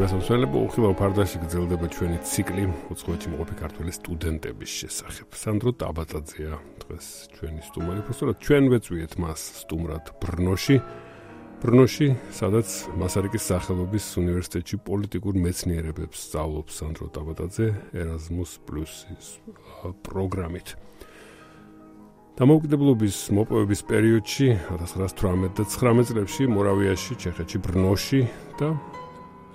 გასასვლელები უხილავ ფარდაში გრძელდება ჩვენი ციკლი უცხოეთში მოყოფი ქართველი სტუდენტების შესახებ. სანდრო ტაბატაძეა დღეს ჩვენი სტუმარი, უბრალოდ ჩვენ ვეწვიეთ მას სტუმრად ბრნოში, სადაც მასარიკის სახელობის უნივერსიტეტში პოლიტიკურ მეცნიერებებს სწავლობს სანდრო ტაბატაძე Erasmus+ პროგრამით. დამოუკიდებლობის მოპოვების პერიოდში 1918 და 19 წლებში მორავიაში, ჩეხეთში, ბრნოში და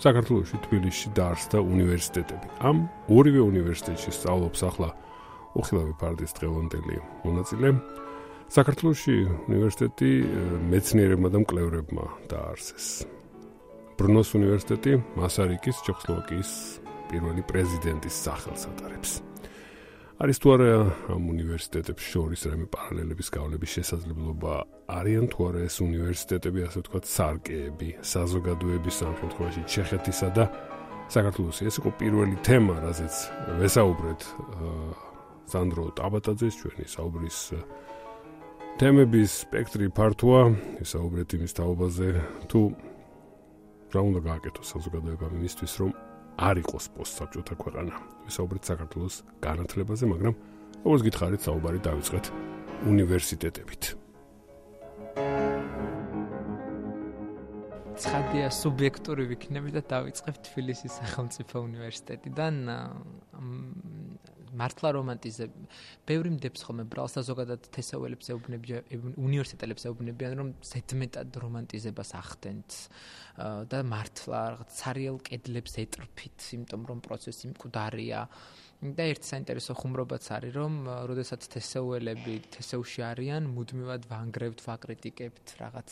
საქართველოში, თბილისში დაარსდა უნივერსიტეტები. ამ ორივე უნივერსიტეტში სწავლობს ახლა უხილავი ფარდის დღევანდელი მონაწილე. საქართველოში უნივერსიტეტი მეცნიერებმა და მკვლევრებმა დაარსეს. ბრნოს უნივერსიტეტი მასარიკის ჩეხოსლოვაკიის პირველი პრეზიდენტის სახელს ატარებს. არის თუ არა ამ უნივერსიტეტებს შორის რამე პარალელების გავლების შესაძლებლობა, არიან თუ არა ეს უნივერსიტეტები, ასე ვთქვათ, სარკეები, საზოგადოების ამ შემთხვევაში ჩეხეთისა და საქართველოსი. ეს იყო პირველი თემა, რაზეც ვესაუბრეთ სანდრო ტაბატაძეს, ჩვენი საუბრის თემების სპექტრი ფართოა, ვისაუბრეთ იმის თაობაზე, თუ რა უნდა გააკეთოს საზოგადოებამ იმისთვის, რომ არ იყოს პოსტსაბჭოთა ქვეყანა. ვისაუბრეთ საქართველოს განათლებაზე, მაგრამ როგორც გითხარით, საუბარი დავიწყეთ უნივერსიტეტებით. ცხადია სუბიექტური ვიქნები და დავიწყებ თბილისის სახელმწიფო უნივერსიტეტიდან. მართლა რომანტიზებ. ბევრი მდებს ხოლმე ბრალს და ზოგადად თესაველებს ეუბნებიან, უნივერსიტეტებს ეუბნებიან, რომ ზედმეტად რომანტიზებას ახდენთ და მართლა რაღაც ცარიელ კედლებს ეტრფით, იმიტომ რომ პროცესი მკვდარია. და ერთი საინტერესო ხუმრობაც არის, რომ როდესაც თესეულები თესეულში არიან, მუდმივად ვანგრევთ, ვაკრიტიკებთ, რაღაც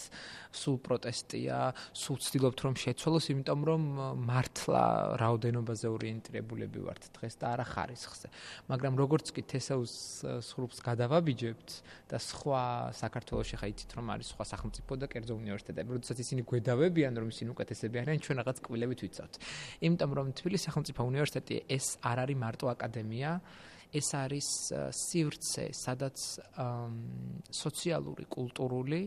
სულ პროტესტია, სულ ვცდილობთ რომ შეცვალოს, იმიტომ რომ მართლა რაოდენობაზე ორიენტირებულები ვართ დღეს და არა ხარისხზე. მაგრამ როგორც კი თესეულს სხრუბს გადავაბიჯებთ და სხვა საქართველოში ხა იცით რომ არის სხვა სახელმწიფო და კერძო უნივერსიტეტები, როდესაც ისინი გვედავებიან რომ ისინი უკეთესები არიან, ჩვენ რაღაც კბილებით ვიცავთ. იმიტომ რომ თბილისის სახელმწიფო უნივერსიტეტი ეს არ არის მარტო აკადემია, ეს არის სივრცე, სადაც სოციალური, კულტურული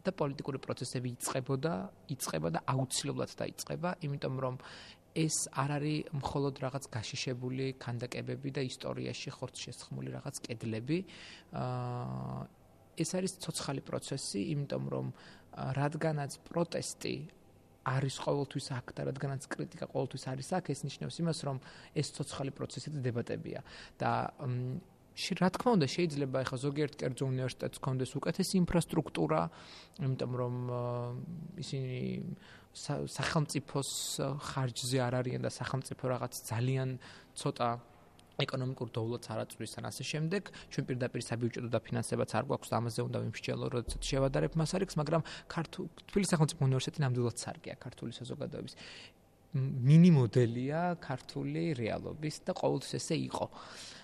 და პოლიტიკური პროცესები იწყება და აუცილებლად დაიწყება, იმიტომ რომ ეს არ არის მხოლოდ რაღაც გაშიშებული ქანდაკებები და ისტორიაში ხორცშესხმული რაღაც კედლები. ეს არის ცოცხალი პროცესი, იმიტომ რომ რადგანაც პროტესტი არის ყოველთვის აქ და რადგანაც კრიტიკა ყოველთვის არის აქ, ეს ნიშნავს იმას, რომ ეს ცოცხალი პროცესი და დებატებია. და რა თქმა უნდა, შეიძლება ახლა ზოგიერთ კერძო უნივერსიტეტს ჰქონდეს უკეთესი ინფრასტრუქტურა, იმიტომ რომ ისინი სახელმწიფოს ხარჯზე არ არიან და სახელმწიფო რაღაც ძალიან ცოტა ეკონომიკურ დოვლოტს არ აწვდის ან ასე შემდეგ. ჩვენ პირდაპირ საბიუჯეტო დაფინანსებაც არ გვაქვს და ამაზე უნდა ვიმსჯელო, როდესაც შევადარებ მასარიქს, მაგრამ თბილისის სახელმწიფო უნივერსიტეტი ნამდვილად სარკეა ქართული საზოგადოების. მინი მოდელია ქართული რეალობის და ყოველთვის ესე იყო.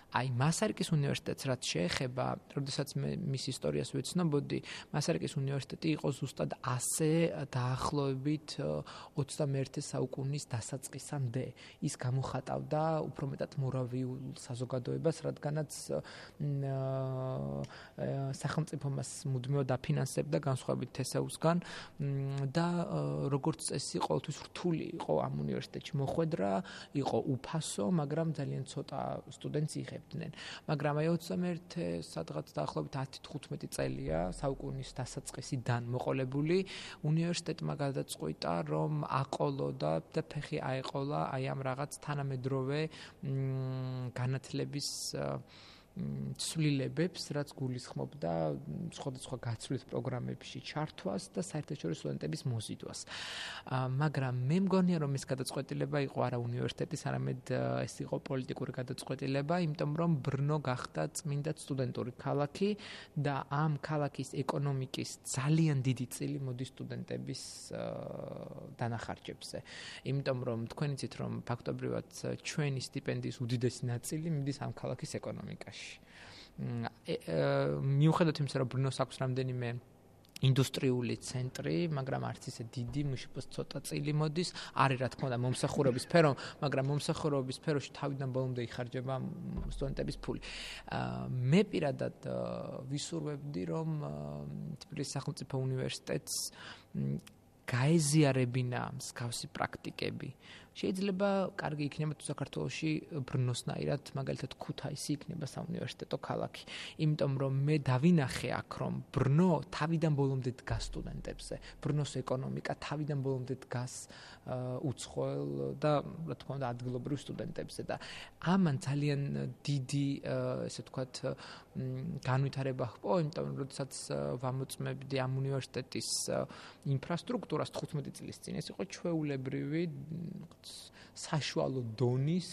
აი მასარიკის უნივერსიტეტს რაც შეეხება, როდესაც მე მის ისტორიას ვეცნობოდი, მასარიკის უნივერსიტეტი იყო ზუსტად ასე დაახლოებით 21 საუკუნის დასაწყისამდე. ის გამოხატავდა უფრო მეტად მორავიულ საზოგადოებას, რადგანაც სახელმწიფო მას მუდმივად დაფინანსებდა განსხვავებით თესეულსგან და როგორც წესი ყოველთვის რთული იყო ამ უნივერსიტეტში მოხვედრა, იყო უფასო, მაგრამ ძალიან ცოტა სტუდენტს იღებდნენ. მაგრამ აი 21 სადღაც დაახლოებით 10-15 წელია საუკუნის დასაწყისიდან მოყოლებული, უნივერსიტეტმა გადაწყვიტა, რომ აყოლოდა და ფეხი აეყოლა აი ამ რაღაც თანამედროვე განათლების ცვლილებებს, რაც გულისხმობდა სხვადასხვა გაცვლის პროგრამებში ჩართვას და საერთაშორისო სტუდენტების მოზიდვას. მაგრამ მე მგონია, რომ ეს გადაწყვეტილება იყო არა უნივერსიტეტის, არამედ ეს იყო პოლიტიკური გადაწყვეტილება, იმიტომ რომ ბრნო გახდა წმინდა სტუდენტური ქალაქი და ამ ქალაქის ეკონომიკის ძალიან დიდი წილი მოდის სტუდენტების დანახარჯებზე. იმიტომ რომ თქვენ იცით, რომ ფაქტობრივად ჩვენი სტიპენდიის უდიდესი ნაწილი მიდის ამ ქალაქის ეკონომიკაში. მიუხედავად იმისა, რომ ბრნოს აქვს რამდენიმე ინდუსტრიული ცენტრი, მაგრამ არც ისე დიდი, მუშაობს ცოტა წილი მოდის, არის რა თქმა უნდა მომსახურების სფერო, მაგრამ მომსახურების სფეროში თავიდან ბოლომდე იხარჯება სტუდენტების ფული. მე პირადად ვისურვებდი, რომ თბილისის სახელმწიფო უნივერსიტეტს გაეზიარებინა მსგავსი პრაქტიკები. შეიძლება კარგი იქნება თუ საქართველოში ბრნოსნაირად მაგალითად ქუთაისი იქნება საუნივერსიტეტო ქალაქი. იმიტომ რომ მე დავინახე აქ რომ ბრნო თავიდან ბოლომდე დგას სტუდენტებზე. ბრნოს ეკონომიკა თავიდან ბოლომდე დგას უცხოელ და რა თქმა უნდა ადგილობრივ სტუდენტებზე და ამან ძალიან დიდი ესე ვთქვათ განვითარება ჰპოვა, იმიტომ რომ როდესაც ვამოწმებდი ამ უნივერსიტეტის ინფრასტრუქტურას 15 წლის წინ ეს იყო ჩვეულებრივი საშუალო დონის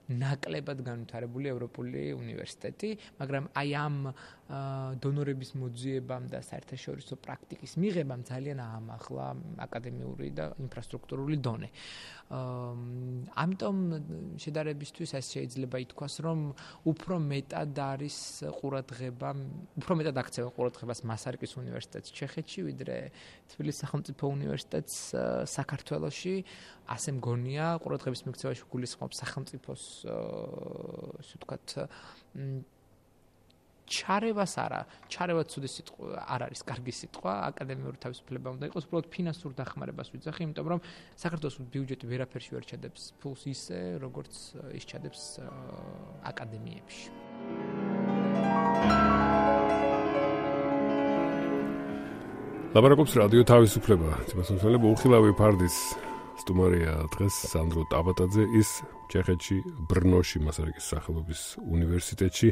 ნაკლებად განვითარებული ევროპული უნივერსიტეტი, მაგრამ აი ამ დონორების მოძიებამ და საერთაშორისო პრაქტიკის მიღებამ ძალიან აამახლა აკადემიური და ინფრასტრუქტურული დონე. ამიტომ შედარებისთვის ეს შეიძლება ითქვას, რომ უფრო მეტად არის ყურადღება, უფრო მეტად აქცევენ ყურადღებას მასარიკის უნივერსიტეტს ჩეხეთში, ვიდრე თბილისის სახელმწიფო უნივერსიტეტს საქართველოში. ასე მგონია, ყურადღების მიქცევაში გულისხმობს სახელმწიფოს ასე ვთქვათ ჩარევას არა, ჩარევა ცუდი სიტყვა არ არის, კარგი სიტყვა, აკადემიური თავისუფლება უნდა იყოს, უბრალოდ ფინანსურ დახმარებას ვიძახი, იმიტომ რომ საქართველოს ბიუჯეტი ვერაფერში ვერ ჩადებს ფულს ისე, როგორც ის ჩადებს აკადემიებში. ლაპარაკობს რადიო თავისუფლება, თვითმსახურება უხილავი ფარდის სტუმარია დღეს სანდრო ტაბატაძე, ის ჩეხეთში ბრნოში მასარიკის სახელობის უნივერსიტეტში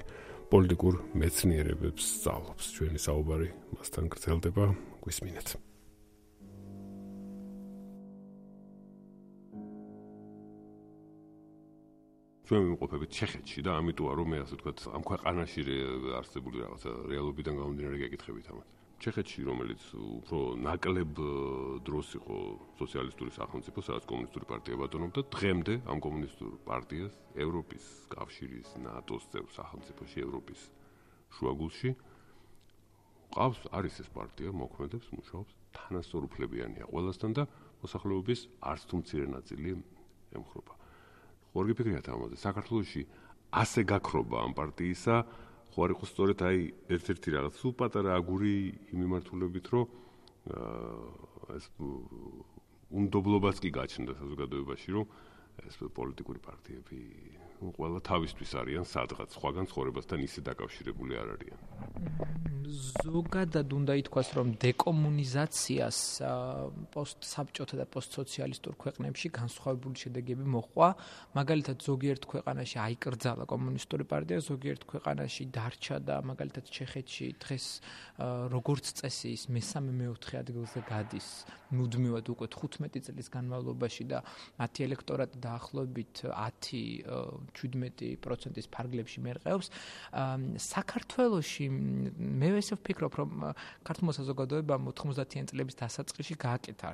პოლიტიკურ მეცნიერებებს სწავლობს. ჩვენი საუბარი მასთან გრძელდება, გვისმინეთ. ჩვენ ვიმყოფებით ჩეხეთში და ამიტოა რომ მე ასე ვთქვათ ამ ქვეყანაში არსებული რაღაცა რეალობიდან გამომდინარე გეკითხებით ამას. ჩეხეთში, რომელიც უფრო ნაკლებ დროს იყო სოციალისტური სახელმწიფო, სადაც კომუნისტური პარტია ბატონობდა, დღემდე ამ კომუნისტურ პარტიას ევროპის კავშირის, ნატოს წევრ სახელმწიფოში, ევროპის შუაგულში ყავს, არის ეს პარტია, მოქმედებს, მუშაობს, თანასწორუფლებიანია ყველასთან და მოსახლეობის არც თუ მცირე ნაწილი ემხრობა. ხო არ გიფიქრეთ ამაზე, საქართველოში ასე გაქრობა ამ პარტიისა ხო არ იყოს სწორედ აი ერთ-ერთი რაღაც სულ პატარა აგური იმ მიმართულებით, რომ ეს უნდობლობაც კი გაჩნდა საზოგადოებაში, რომ ეს პოლიტიკური პარტიები ყველა თავისთვის არიან სადღაც, სხვაგან ცხოვრებასთან ისე დაკავშირებული არ არიან. ზოგადად უნდა ითქვას, რომ დეკომუნიზაციას პოსტსაბჭოთა და პოსტსოციალისტურ ქვეყნებში განსხვავებული შედეგები მოჰყვა. მაგალითად, ზოგიერთ ქვეყანაში აიკრძალა კომუნისტური პარტია, ზოგიერთ ქვეყანაში დარჩა და მაგალითად ჩეხეთში დღეს როგორც წესი ის მესამე-მეოთხე ადგილზე გადის მუდმივად უკვე 15 წლის განმავლობაში და მათი ელექტორატი დაახლოებით 10-17% ფარგლებში მერყეობს. საქართველოში მე ესე ვფიქრობ, რომ ქართულმა საზოგადოებამ 90-იან წლების დასაწყისში გააკეთა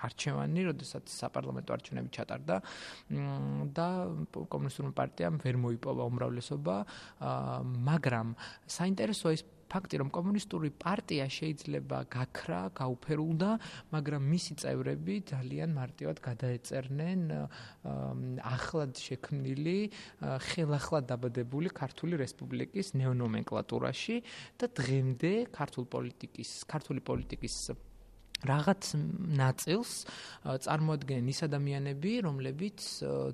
არჩევანი, როდესაც საპარლამენტო არჩევნები ჩატარდა და კომუნისტურმა პარტიამ ვერ მოიპოვა უმრავლესობა, მაგრამ საინტერესოა ის ფაქტი, რომ კომუნისტური პარტია შეიძლება გაქრა, გაუფერულდა, მაგრამ მისი წევრები ძალიან მარტივად გადაეწერნენ ახლად შექმნილი, ხელახლად დაბადებული ქართული რესპუბლიკის ნეონომენკლატურაში და დღემდე ქართული პოლიტიკის რაღაც ნაწილს წარმოადგენენ ის ადამიანები, რომლებიც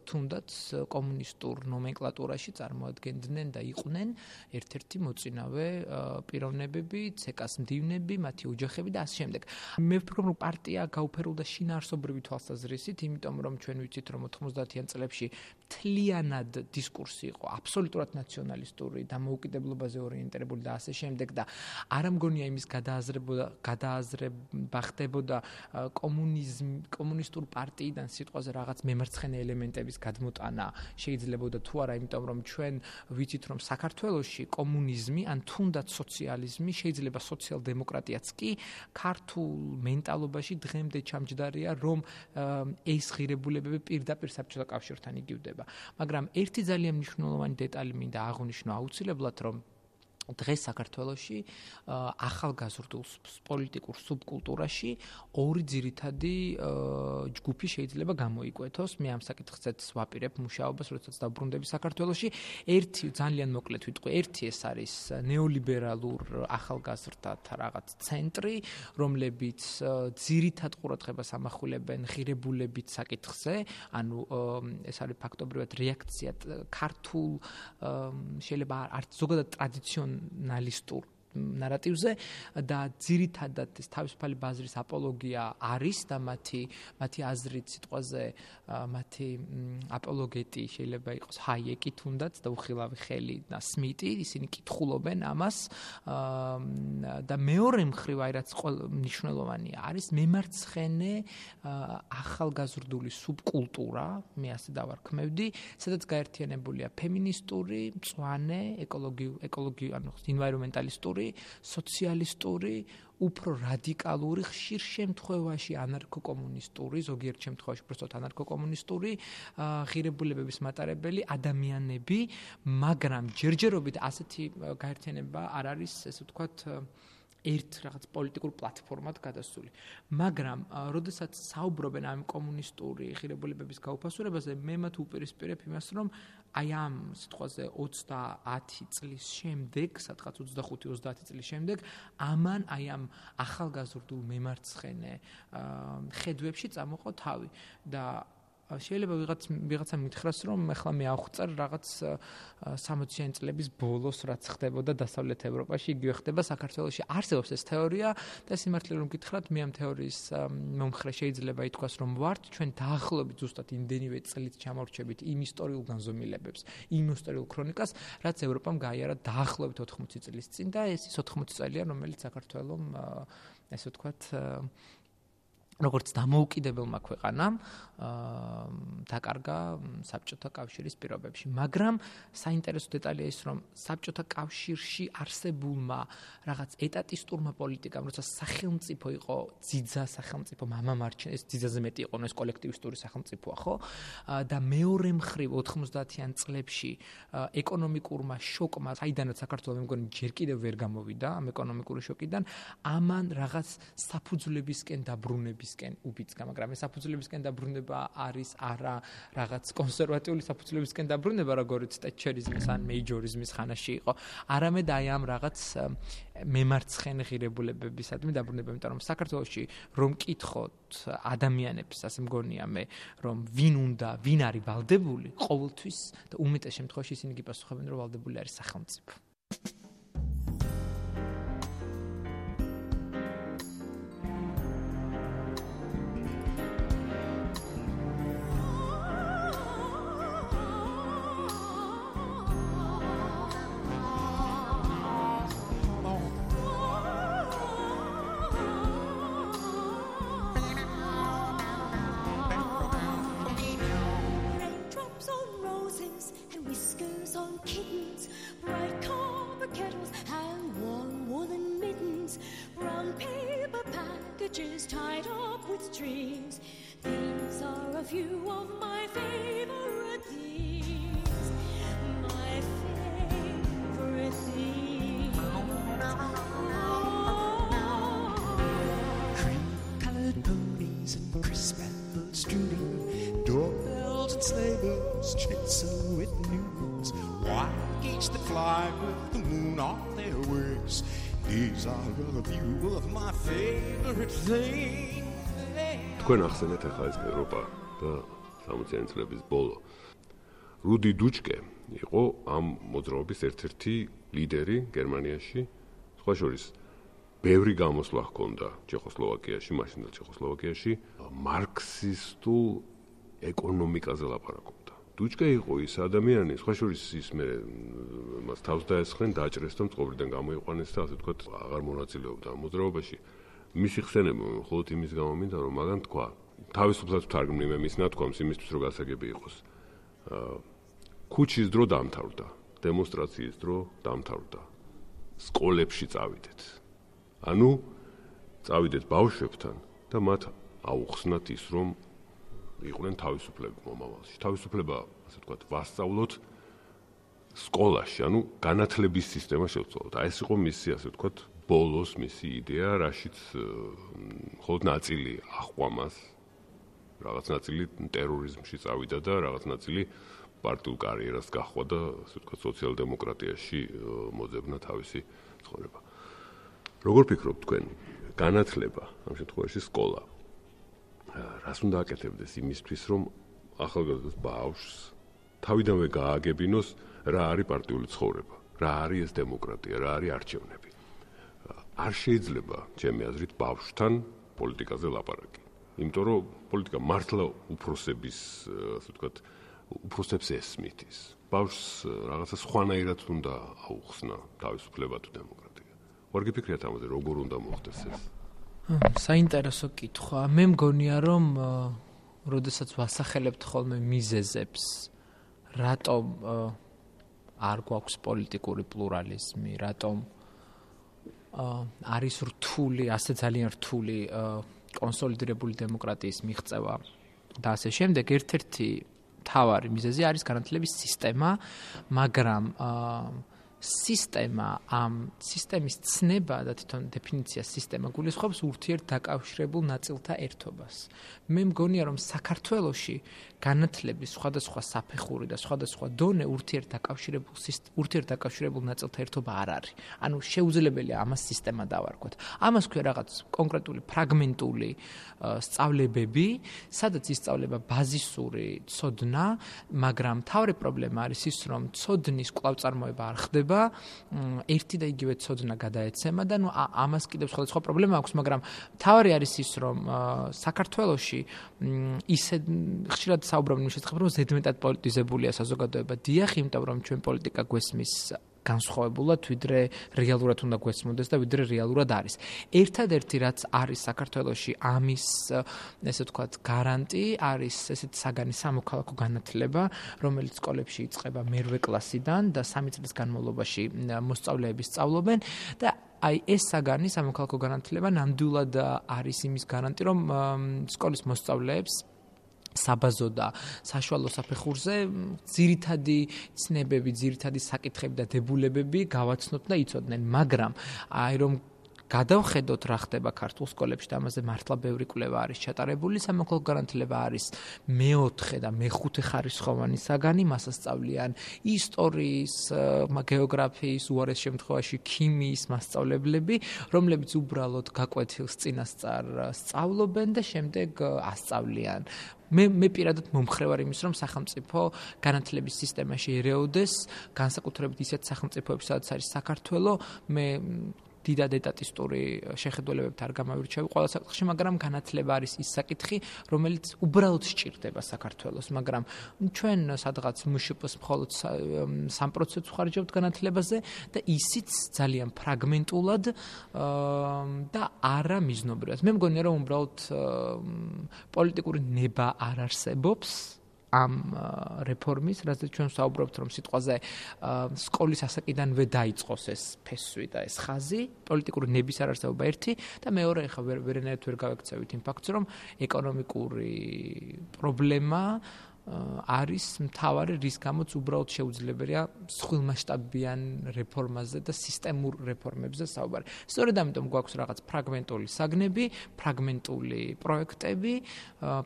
თუნდაც კომუნისტურ ნომენკლატურაში წარმოადგენდნენ და იყვნენ ერთ-ერთი მოწინავე პიროვნებები, ცეკას მდივნები, მათი ოჯახები და ასე შემდეგ. მე ვფიქრობ, რომ პარტია გაუფერულდა შინაარსობრივი თვალსაზრისით, იმიტომ რომ ჩვენ ვიცით, რომ 90-იან წლებში მთლიანად დისკურსი იყო აბსოლუტურად ნაციონალისტური, დამოუკიდებლობაზე ორიენტირებული და ასე შემდეგ და არ ამგონია იმის გადააზრება ხდებოდა კომუნისტურ პარტიიდან სიტყვაზე რაღაც მემარცხენე ელემენტების გადმოტანა შეიძლებოდა თუ არა, იმიტომ რომ ჩვენ ვიცით, რომ საქართველოში კომუნიზმი ან თუნდაც სოციალიზმი, შეიძლება სოციალ-დემოკრატიაც კი ქართულ მენტალობაში დღემდე ჩამჯდარია, რომ ეს ღირებულებები პირდაპირ საბჭოთა კავშირთან იგივდება. მაგრამ ერთი ძალიან მნიშვნელოვანი დეტალი მინდა აღვნიშნო აუცილებლად, რომ დღეს საქართველოში ახალგაზრდულ პოლიტიკურ სუბკულტურაში ორი ძირითადი ჯგუფი შეიძლება გამოიკვეთოს. მე ამ საკითხზეც ვაპირებ მუშაობას, როდესაც დავბრუნდები საქართველოში. ერთი ძალიან მოკლედ ვიტყვი, ერთი ეს არის ნეოლიბერალურ ახალგაზრდათა რაღაც ცენტრი, რომლებიც ძირითად ყურადღებას ამახვილებენ ღირებულებით საკითხზე, ანუ ეს არის ფაქტობრივად რეაქცია ქართულ შეიძლება არც ზოგადად ტრადიციონალისტურ ნარატივზე და ძირითადად ეს თავისუფალი ბაზრის აპოლოგია არის და მათი აზრით სიტყვაზე მათი აპოლოგეტი შეიძლება იყოს ჰაიეკი თუნდაც და უხილავი ხელი და სმიტი, ისინი კითხულობენ ამას და მეორე მხრივ აი რაც მნიშვნელოვანია არის მემარცხენე ახალგაზრდული სუბკულტურა, მე ასე დავარქმევდი, სადაც გაერთიანებულია ფემინისტური, მწვანე, ეკოლოგიური, ანუ ინვაირომენტალისტური, სოციალისტური, უფრო რადიკალური, ხშირ შემთხვევაში ანარქო-კომუნისტური, ზოგიერთ შემთხვევაში უბრალოდ ანარქო-კომუნისტური ღირებულებების მატარებელი ადამიანები, მაგრამ ჯერჯერობით ასეთი გაერთიანება არ არის, ესე ვთქვათ, ერთ რაღაც პოლიტიკურ პლატფორმად გადასული. მაგრამ, როდესაც საუბრობენ ამ კომუნისტური ღირებულებების გაუფასურებაზე, მე მათ უპირისპირებ იმას, რომ აი ამ სიტყვაზე 30 წლის შემდეგ, სადღაც 25-30 წლის შემდეგ, ამან აი ამ ახალგაზრდულ მემარცხენე ხედვებში წამოყო თავი და შეიძლება ვიღაცა მითხრას, რომ ახლა მე ავხვწარ რაღაც 60-იანი წლების ბოლოს რაც ხდებოდა დასავლეთ ევროპაში, იგივე ხდება საქართველოში. არსებობს ეს თეორია და სიმართლე რომ გითხრათ, მე ამ თეორიის მომხრე შეიძლება ითქვას, რომ ვართ, ჩვენ დაახლოებით ზუსტად იმდენივე წლით ჩამორჩებით იმ ისტორიულ განზომილებებს, იმ ისტორიულ ქრონიკას, რაც ევროპამ გაიარა დაახლოებით 80 წლის წინ და ეს 80 წელია, რომელიც საქართველოს ესე ვთქვათ როგორც დამოუკიდებელმა ქვეყანამ დაკარგა საბჭოთა კავშირის პირობებში. მაგრამ საინტერესო დეტალია ის, რომ საბჭოთა კავშირში არსებულმა რაღაც ეტატისტურმა პოლიტიკამ, როცა სახელმწიფო იყო ძიძა სახელმწიფო, მამამარჩენე, ეს ძიძაზე მეტი იყო, ეს კოლექტივისტური სახელმწიფოა, ხო? და მეორე მხრივ 90-იან წლებში ეკონომიკურმა შოკმა, საიდანაც საქართველოს მე მგონი ჯერ კიდევ ვერ გამოვიდა ამ ეკონომიკური შოკიდან, ამან რაღაც საფუძვლებისკენ დაბრუნებისკენ უბიძგა, მაგრამ ეს საფუძვლებისკენ დაბრუნება არის არა რაღაც კონსერვატიული საფუძვლებისკენ დაბრუნება, როგორც ტეტჩერიზმის ან მეიჯორიზმის ხანაში იყო, არამედ აი ამ რაღაც მემარცხენე ღირებულებებისადმი დაბრუნება, იმიტომ რომ საქართველოში რომ კითხოთ ადამიანებს, ასე მგონია მე, რომ ვინ არის ვალდებული, ყოველთვის და უმეტეს შემთხვევაში ისინი გიპასუხებენ, რომ ვალდებული არის სახელმწიფო. Tied up with strings. These are a few of my favorite things. My favorite things. Cream-colored ponies and crisp apples strewn, doorbells and sleigh bells tinsel with news. White geese that fly with the moon on their wings. These are a few of my favorite things. თქვენ ახსენეთ ახლა ეს ევროპა და 60-იანი წლების ბოლო. რუდი დუჩკე იყო ამ მოძრაობის ერთ-ერთი ლიდერი გერმანიაში. სხვა შორის ბევრი გამოსვლა ჰქონდა ჩეხოსლოვაკიაში, მაშინდელ ჩეხოსლოვაკიაში, მარქსისტულ ეკონომიკაზე ლაპარაკობდა. დუჩკე იყო ის ადამიანი, სხვა შორის ის მე მას თავს დაესხნენ, დააჭრეს და მწყობრიდან გამოიყვანეს და ასე ვთქვათ, აღარ მონაწილეობდა ამ მოძრაობაში. მისი ხსენება მხოლოდ იმის გამო მინდა, რომ მაგან თქვა, თავისუფლად ვთარგმნი მე მის ნათქვამს იმისთვის, რომ გასაგები იყოს. ქუჩის დრო დამთავრდა, დემონსტრაციის დრო დამთავრდა. სკოლებში წავიდეთ. ანუ წავიდეთ ბავშვებთან და მათ აუხსნათ ის, რომ იყვნენ თავისუფლები მომავალში. თავისუფლება, ასე ვთქვათ, ვასწავლოთ სკოლაში, ანუ განათლების სისტემა შევცვალოთ. ეს იყო მისი, ასე ვთქვათ, ბოლოს მისი იდეა, რაშიც მხოლოდ ნაწილი აყვამას, რაღაც ნაწილი ტერორიზმში წავიდა და რაღაც ნაწილი პარტიულ კარიერას გაჰყვა და, ასე ვთქვათ, სოციალ-დემოკრატიაში მოძებნა თავისი ცხოვრება. როგორ ფიქრობთ თქვენ, განათლება, ამ შემთხვევაში სკოლა, რას უნდა აკეთებდეს იმისთვის, რომ ახალგაზრდა ბავშვს თავიდანვე გააგებინოს რა არის პარტიული ცხოვრება, რა არის ეს დემოკრატია, რა არის არჩევნები. არ შეიძლება, ჩემი აზრით, ბავშვთან პოლიტიკაზე ლაპარაკი. იმიტომ რომ პოლიტიკა მართლა უფროსების, ასე ვთქვათ, უფროსებს ესმით ის. ბავშვს რაღაცა სხვანაირად უნდა აუხსნა თავისუფლება თუ დემოკრატია. ვარ გიფიქრიათ ამაზე, როგორ უნდა მოხდეს ეს? საინტერესო კითხვა. მე მგონია, რომ როდესაც ვასახელებთ ხოლმე მიზეზებს, რატომ არ გვაქვს პოლიტიკური პლურალიზმი, რატომ არის რთული, ასე ძალიან რთული კონსოლიდირებული დემოკრატიის მიღწევა და ასე შემდეგ, ერთ-ერთი მთავარი მიზეზი არის განათლების სისტემა, მაგრამ სისტემა, ამ სისტემის ცნება და თვითონ დეფინიცია სისტემა გულისხმობს ურთიერთდაკავშირებულ ნაწილთა ერთობას. მე მგონია, რომ საქართველოში განათლების სხვადასხვა საფეხური და სხვადასხვა დონე ურთიერთდაკავშირებულ ნაწილთა ერთობა არ არის. ანუ შეუძლებელია ამას სისტემა დავარქვათ. ამას ქვია რაღაც კონკრეტული ფრაგმენტული სწავლებები, სადაც ისწავლება ბაზისური ცოდნა, მაგრამ მთავარი პრობლემა არის ის, რომ ცოდნის კვლავწარმოება არ ხდება, ერთი და იგივე ცოდნა გადაეცემა და ამას კიდევ სხვადასხვა პრობლემა აქვს, მაგრამ მთავარი არის ის, რომ საქართველოში ისე ხშირად საუბრობენ იმ შესახებ, რომ ზედმეტად პოლიტიზებულია საზოგადოება. დიახ, იმიტომ რომ ჩვენ პოლიტიკა გვესმის განსხვავებულად, ვიდრე რეალურად უნდა გვესმოდეს და ვიდრე რეალურად არის. ერთადერთი რაც არის საქართველოში ამის, ესე ვთქვათ, გარანტი არის ესეთი საგანი სამოქალაქო განათლება, რომელიც სკოლებში იწყება მერვე კლასიდან და 3 წლის განმავლობაში მოსწავლეები სწავლობენ და აი ეს საგანი სამოქალაქო განათლება ნამდვილად არის იმის გარანტი, რომ სკოლის მოსწავლეებს საბაზო და საშუალო საფეხურზე ძირითადი ცნებები, ძირითადი საკითხები და დებულებები გავაცნოთ და იცოდნენ, მაგრამ აი რომ გადავხედოთ რა ხდება ქართულ სკოლებში და ამაზე მართლა ბევრი კვლევა არის ჩატარებული, სამოქალაქო განათლება არის მეოთხე და მეხუთე ხარისხოვანი საგანი, მას ასწავლიან ისტორიის, გეოგრაფიის, უარეს შემთხვევაში ქიმიის მასწავლებლები, რომლებიც უბრალოდ გაკვეთილს წინასწარ სწავლობენ და შემდეგ ასწავლიან. მე პირადად მომხრევარ იმის, რომ სახელმწიფო განათლების სისტემაში ერეოდეს, განსაკუთრებით ისეთ სახელმწიფოებში, სადაც არის საქართველო, მე დიდად ეტატისტური შეხედულებებით არ გამავირჩევი ყველა საკითხში, მაგრამ განათლება არის ის საკითხი, რომელიც უბრალოდ სჭირდება საქართველოს, მაგრამ ჩვენ სადღაც მშპ-ს მხოლოდ 3%-ს ვხარჯავთ განათლებაზე და ისიც ძალიან ფრაგმენტულად და არა მიზნობრივად. მე მგონია, რომ უბრალოდ პოლიტიკური ნება არ არსებობს ამ რეფორმის, რასაც ჩვენ საუბრობთ, რომ სიტყვაზე სკოლის ასაკიდანვე დაიწყოს ეს ფესვი და ეს ხაზი, პოლიტიკური ნების არარსებობა ერთი და მეორე, ხა ვერანაირად ვერ გავექცევით იმ ფაქტს, რომ ეკონომიკური პრობლემა არის მთავარი, რის გამოც უბრალოდ შეუძლებელია მსხვილმასშტაბიან რეფორმაზე და სისტემურ რეფორმებზე საუბარი. სწორედ ამიტომ გვაქვს რაღაც ფრაგმენტული საგნები, ფრაგმენტული პროექტები,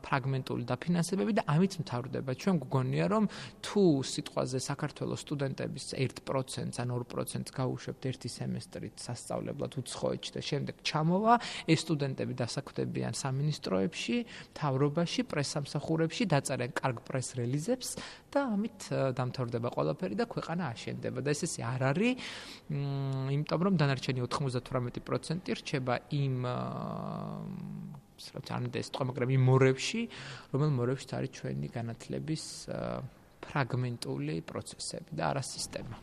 ფრაგმენტული დაფინანსებები და ამით მთავრდება. ჩვენ გვგონია, რომ თუ სიტყვაზე საქართველოს სტუდენტების 1% ან 2% გაუშვებთ ერთი სემესტრით სასწავლებლად უცხოეთში და შემდეგ ჩამოვა, ეს სტუდენტები დასაქმდებიან სამინისტროებში, მთავრობაში, პრესსამსახურებში, დაწერენ კარგ პრეს რელიზებს და ამით დამთავრდება ყველაფერი და ქვეყანა აშენდება და ესე არ არის, იმიტომ რომ დანარჩენი 98% რჩება იმ მაგრამ იმ მორევში, რომელ მორევშიც არის ჩვენი განათლების ფრაგმენტული პროცესები და არა სისტემა.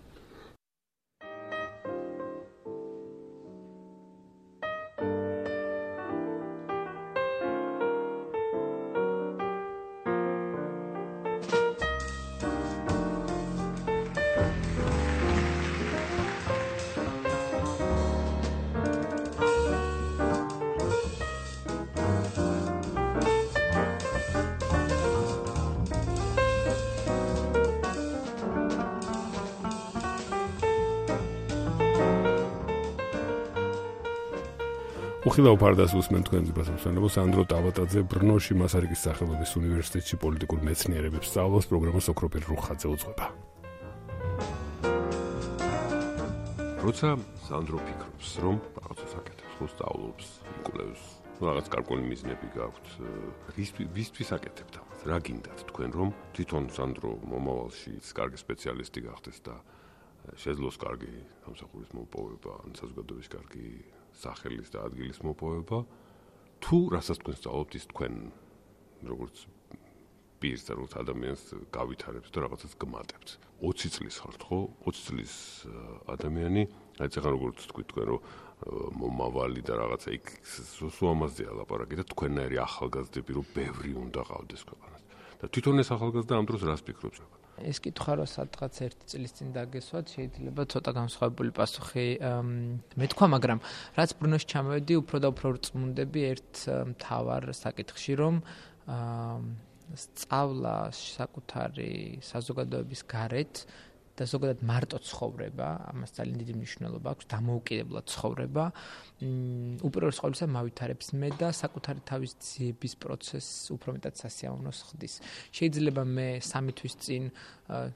უხილავ ფარდას უსმენ თქვენ ძებასამსვენებო სანდრო ტავატაძე ბრნოში მასარიკის სახელობის უნივერსიტეტში პოლიტიკურ მეცნიერებებს სწავლობს პროგრამას ოქროპირ რუხაძე უძღვება. როცა სანდრო ფიქრობს, რომ რაღაცას აკეთებს, ხო სწავლობს, იკვლევს, რაღაც კარგული მიზნები გაქვთ, ვისთვის აკეთებთ ამას? რა გინდათ თქვენ, რომ თვითონ სანდრო მომავალში კარგი სპეციალისტი გახდეს და შეძლოს კარგი სამსახურის მოპოვება, ან საზოგადოების კარგი სახელის და ადგილის მოპოვება, თუ რასაც თქვენ სწავლობთ, ის თქვენ როგორც პირს და როგორც ადამიანს გავითარებს და რაღაცას გმატებთ. 20 წლის ხართ, ხო? 20 წლის ადამიანი, აი ეხლა როგორც თქვით თქვენ, რომ მომავალი და რაღაცა იქ სულ ამაზეა ლაპარაკი და თქვენნაირი ახალგაზრდები რომ ბევრი უნდა ყავდეს ქვეყანას. და თვითონ ეს ახალგაზრდა ამ დროს რას ფიქრობს? ეს კითხვა რო სადღაც 1 წლის წინ დაგესვათ, შეიძლება ცოტა განსხვავებული პასუხი მეთქვა, მაგრამ რაც ბრუნოში ჩამოვედი, უფრო და უფრო რწმუნდები ერთ მთავარ საკითხში, რომ სწავლა საკუთარი საზოგადოების გარეთ და ზოგადად მარტო ცხოვრება, ამას ძალიან დიდი მნიშვნელობა აქვს, დამოუკიდებლად ცხოვრება, უპირველეს ყოვლისა მავითარებს მე და საკუთარი თავის ძიების პროცესს უფრო მეტად სასიამოვნოს ხდის. შეიძლება მე 3 თვის წინ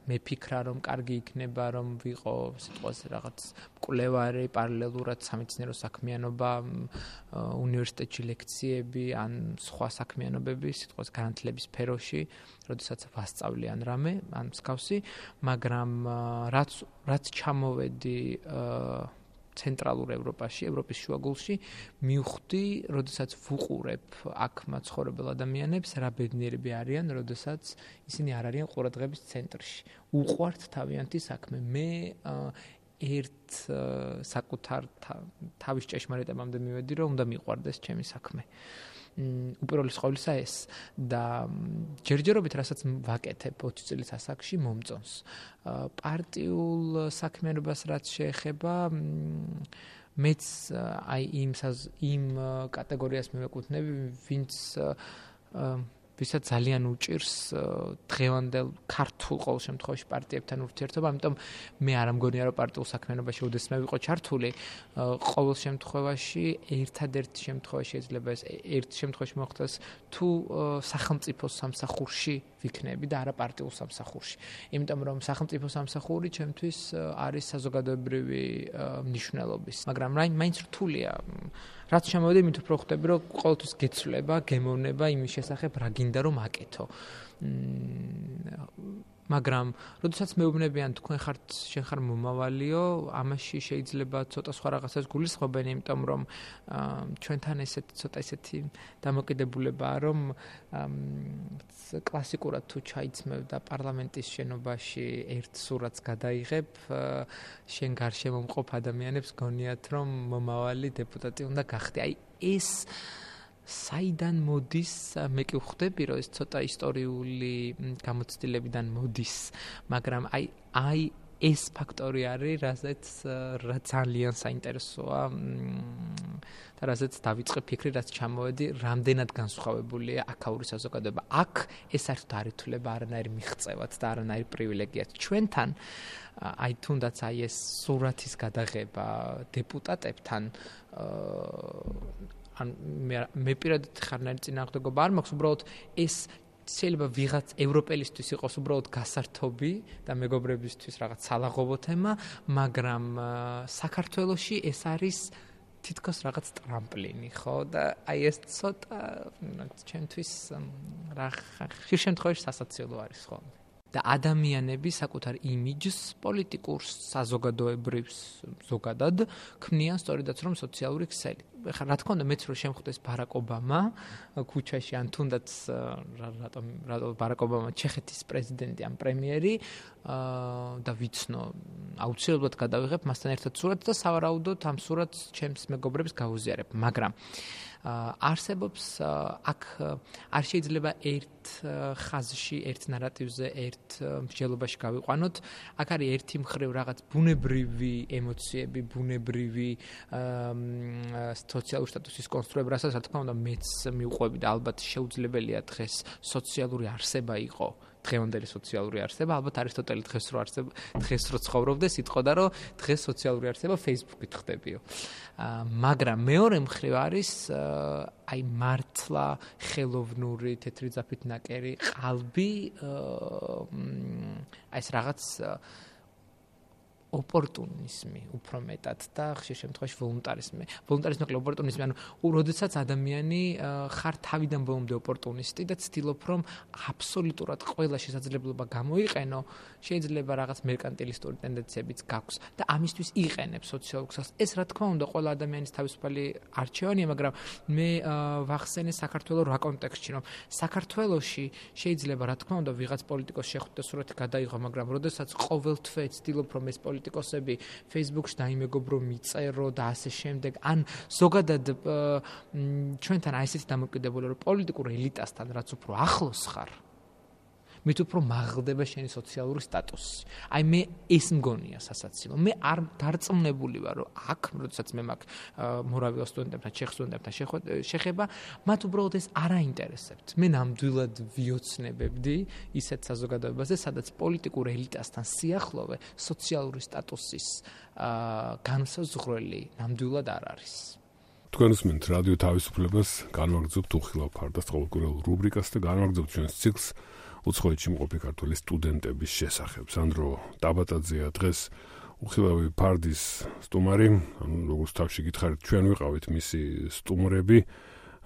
მეფიქრა, რომ კარგი იქნება, რომ ვიყო სიტყვაზე რაღაც მკვლევარი, პარალელურად სამეცნიერო საქმიანობა, უნივერსიტეტში ლექციები, ან სხვა საქმიანობები, სიტყვაზე განათლების სფეროში, როდესაც ვასწავლე ან რამე, ან მსგავსი, მაგრამ რაც ჩამოვედი ცენტრალურ ევროპაში, ევროპის შუაგულში, მივხვდი, როდესაც ვუყურებ აქ მაცხოვრებელ ადამიანებს, რა ბედნიერები არიან, როდესაც ისინი არ არიან ყურადღების ცენტრში. უყვართ თავიანთი საქმე. მე ერთ საკუთარ თავის ჭეშმარიტებამდე მივედი, რომ უნდა მიყვარდეს ჩემი საქმე. უპირველეს ყოვლისა ეს და ჯერჯერობით რასაც ვაკეთებ 20 წლის ასაკში მომწონს. პარტიულ საქმიანობას რაც შეეხება მეც აი იმ კატეგორიას მივეკუთვნები, ვისაც ძალიან უჭირს დღევანდელ ქართულ ყოველ შემთხვევაში პარტიებთან ურთიერთობა, ამიტომ მე არ ამგონია რომ პარტიულ საქმიანობაში ოდესმე ვიყო ჩართული, ყოველ შემთხვევაში ერთადერთ შემთხვევაში შეიძლება ეს ერთ შემთხვევაში მოხდეს თუ სახელმწიფო სამსახურში ვიქნები და არა პარტიულ სამსახურში. იმიტომ რომ სახელმწიფო სამსახური ჩემთვის არის საზოგადოებრივი მნიშვნელობის, მაგრამ მაინც რთულია. რაც შემოვედი, მით უფრო ხვდები, რომ ყოველთვის გეცვლება, გემოვნება იმის შესახებ, რა გინდა რომ აკეთო. მაგრამ, როდესაც მეუბნებიან, თქვენ შენ ხარ მომავალიო, ამაში შეიძლება ცოტა სხვა რაღაცას გულისხმობენ, იმიტომ რომ ჩვენთან ცოტა ესეთი დამოკიდებულებაა, რომ კლასიკურად თუ ჩაიცმევ და პარლამენტის შენობაში ერთ სურათს გადაიღებ, შენ გარშემო მყოფ ადამიანებს გონიათ, რომ მომავალი დეპუტატი უნდა გახდე. აი ეს საიდან მოდის, მე კი ვხვდები, რომ ეს ცოტა ისტორიული გამოცდილებიდან მოდის, მაგრამ აი ეს ფაქტორი არის, რაც ძალიან საინტერესოა და რასაც დავიწყე ფიქრი, რაც ჩამოვედი, რამდენად განსხვავებულია აქაური საზოგადოება. აქ ეს საერთოდ არ ითვლება არანაირი მიღწევად და არანაირი პრივილეგიად. ჩვენთან აი თუნდაც აი ეს სურათის გადაღება დეპუტატებთან ან მე პირადად ხარნაირი წინააღმდეგობა არ მაქვს, უბრალოდ ეს შეიძლება ვიღაც ევროპელისთვის იყოს უბრალოდ გასართობი და მეგობრებისთვის რაღაც სალაღობო თემა, მაგრამ საქართველოში ეს არის თითქოს რაღაც ტრამპლინი, ხო? და აი ეს ცოტა ჩემთვის რა ხშირ შემთხვევაში სასაცილო არის ხოლმე. და ადამიანები საკუთარ იმიჯს პოლიტიკურ საზოგადოებრივს ზოგადად ქმნიან სწორედაც რომ სოციალური ქსელი. ეხლა რა თქმა უნდა მეც რო შემხვდეს ბარაკ ობამა ქუჩაში ან თუნდაც რატომ ბარაკ ობამა ჩეხეთის პრეზიდენტი ან პრემიერი და ვიცნო აუცილებლად გადავიღებ მასთან ერთად სურათს და სავარაუდოდ ამ სურათს ჩემს მეგობრებს გავუზიარებ, მაგრამ არსებობს აქ არ შეიძლება ერთ ხაზში, ერთ ნარატივზე, ერთ მსჯელობაში გავიყვანოთ. აქ არის ერთი მხრივ რაღაც ბუნებრივი ემოციები, ბუნებრივი სოციალური სტატუსის კონსტრუირება, რასაც რა თქმა უნდა მეც მივყვები და ალბათ შეუძლებელია დღეს სოციალური არსება იყო დღევანდელი სოციალური არსება, ალბათ არისტოტელი დღეს რო ცხოვრობდეს, იტყოდა, რომ დღეს სოციალური არსება Facebook-ით ხდებიო. მაგრამ მეორე მხრივ არის აი მართლა ხელოვნური თეთრი ძაფით ნაკერი ყალბი აი ეს რაღაც ოპორტუნიზმი უფრო მეტად და ხშირ შემთხვევაში ვოლუნტარიზმი. ვოლუნტარიზმი ნაკლებ ოპორტუნიზმი, ანუ როდესაც ადამიანი ხარ თავიდან ბოლომდე ოპორტუნისტი და ცდილობ რომ აბსოლუტურად ყველა შესაძლებლობა გამოიყენო, შეიძლება რაღაც მერკანტილისტური ტენდენციებიც გაქვს და ამისთვის იყენებს სოციალურ ქსელს. ეს რა თქმა უნდა ყველა ადამიანის თავისუფალი არჩევანია, მაგრამ მე ვახსენე საქართველოს რა კონტექსტში, რომ საქართველოში შეიძლება რა თქმა უნდა ვიღაც პოლიტიკოს შეხვდა სურათი გადაიღო, მაგრამ როდესაც ყოველთვე ცდილობ რომ ეს პოლიტიკოსები Facebook-ში დაიმეგობრო მიწერო და ასე შემდეგ. ან ზოგადად ჩვენთან აი ესეთი დამოკიდებული რომ პოლიტიკურ ელიტასთან რაც უფრო ახლოს ხარ, მით უფრო მაღლდება შენი სოციალური სტატუსი. აი მე ეს მგონია სასაცილო. მე არ დარწმუნებული ვარ რომ აქ, როდესაც მე მაქვს მორავიელ სტუდენტებთან, ჩეხ სტუდენტებთან შეხება, მათ უბრალოდ ეს არ აინტერესებთ. მე ნამდვილად ვიოცნებებდი ისეთ საზოგადოებაზე, სადაც პოლიტიკურ ელიტასთან სიახლოვე სოციალური სტატუსის განსაზღვრელი ნამდვილად არ არის. თქვენ უსმენთ რადიო თავისუფლებას, განვაგრძობთ უხილავ ფარდას ყოველკვირეულ რუბრიკას და განვაგრძობთ ჩვენს ციკლს უცხოეთში მყოფი ქართველი სტუდენტების შესახებ. სანდრო ტაბატაძეა დღეს უხილავი ფარდის სტუმარი, ანუ როგორც თავში გითხარით, ჩვენ ვიყავით მისი სტუმრები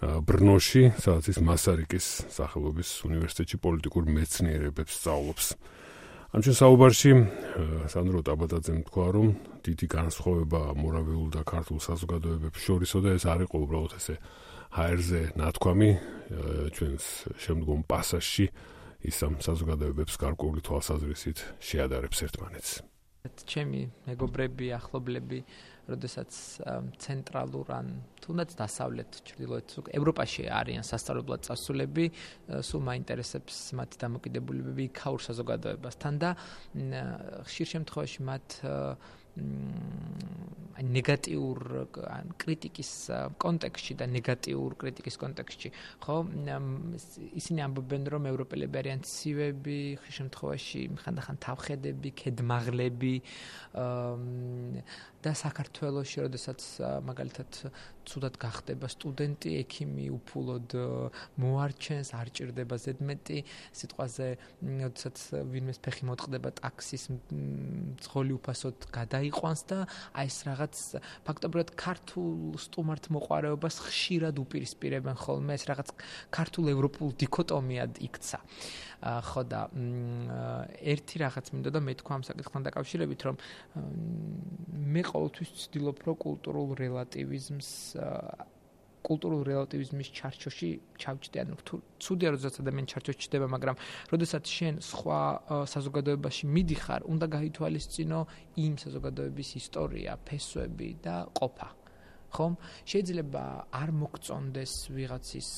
ბრნოში, სადაც ის მასარიკის სახელობის უნივერსიტეტში პოლიტიკურ მეცნიერებებს სწავლობს. ამ ჩვენ საუბარში სანდრო ტაბატაძემ თქვა, რომ დიდი განსხვავება მორავიულ და ქართულ საზოგადოებებს შორისო და ეს არ იყო უბრალოდ ესე ჰაერზე ნათქვამი ჩვენს შემდგომ პასაჟში ის ამ საზოგადოებებს გარკვეული თვალსაზრისით შეადარებს ერთმანეთს. ჩემი მეგობრები, ახლობლები, როდესაც ცენტრალურ ან თუნდაც დასავლეთ ჩრდილოეთ ევროპაში არიან სასწავლებლად წასულები, სულ მაინტერესებს მათი დამოკიდებულებები იქაურ საზოგადოებასთან და ხშირ შემთხვევაში მათ ნეგატიურ კრიტიკის კონტექსტში და ნეგატიურ კრიტიკის კონტექსტში, ხო? ისინი ამბობენ, რომ ევროპელები არიან ცივები, ხშირ შემთხვევაში ხანდახან თავხედები, ქედმაღლები და საქართველოში, როდესაც მაგალითად ცუდად გახდება სტუდენტი, ექიმი უფულოდ მოარჩენს, არ ჭირდება ზედმეტი სიტყვაზე, როდესაც ვინმეს ფეხი მოტყდება ტაქსის მძღოლი უფასოდ გადაიყვანს და აი ეს რაღაც ფაქტობრივად ქართულ სტუმართ მოყვარეობას ხშირად უპირისპირებენ ხოლმე, ეს რაღაც ქართულ ევროპულ დიქოტომიად იქცა. ხო და ერთი რაღაც მინდოდა მე თქვა ამ საკითხთან დაკავშირებით, რომ მე ყოველთვის ვცდილობ რომ კულტურულ რელატივიზმის ჩარჩოში ჩავჭდე, ანუ ცუდია როდესაც ადამიანი ჩარჩოში ჩდება, მაგრამ როდესაც შენ სხვა საზოგადოებაში მიდიხარ, უნდა გაითვალისწინო იმ საზოგადოების ისტორია, ფესვები და ყოფა. ხომ? შეიძლება არ მოგწონდეს ვიღაცის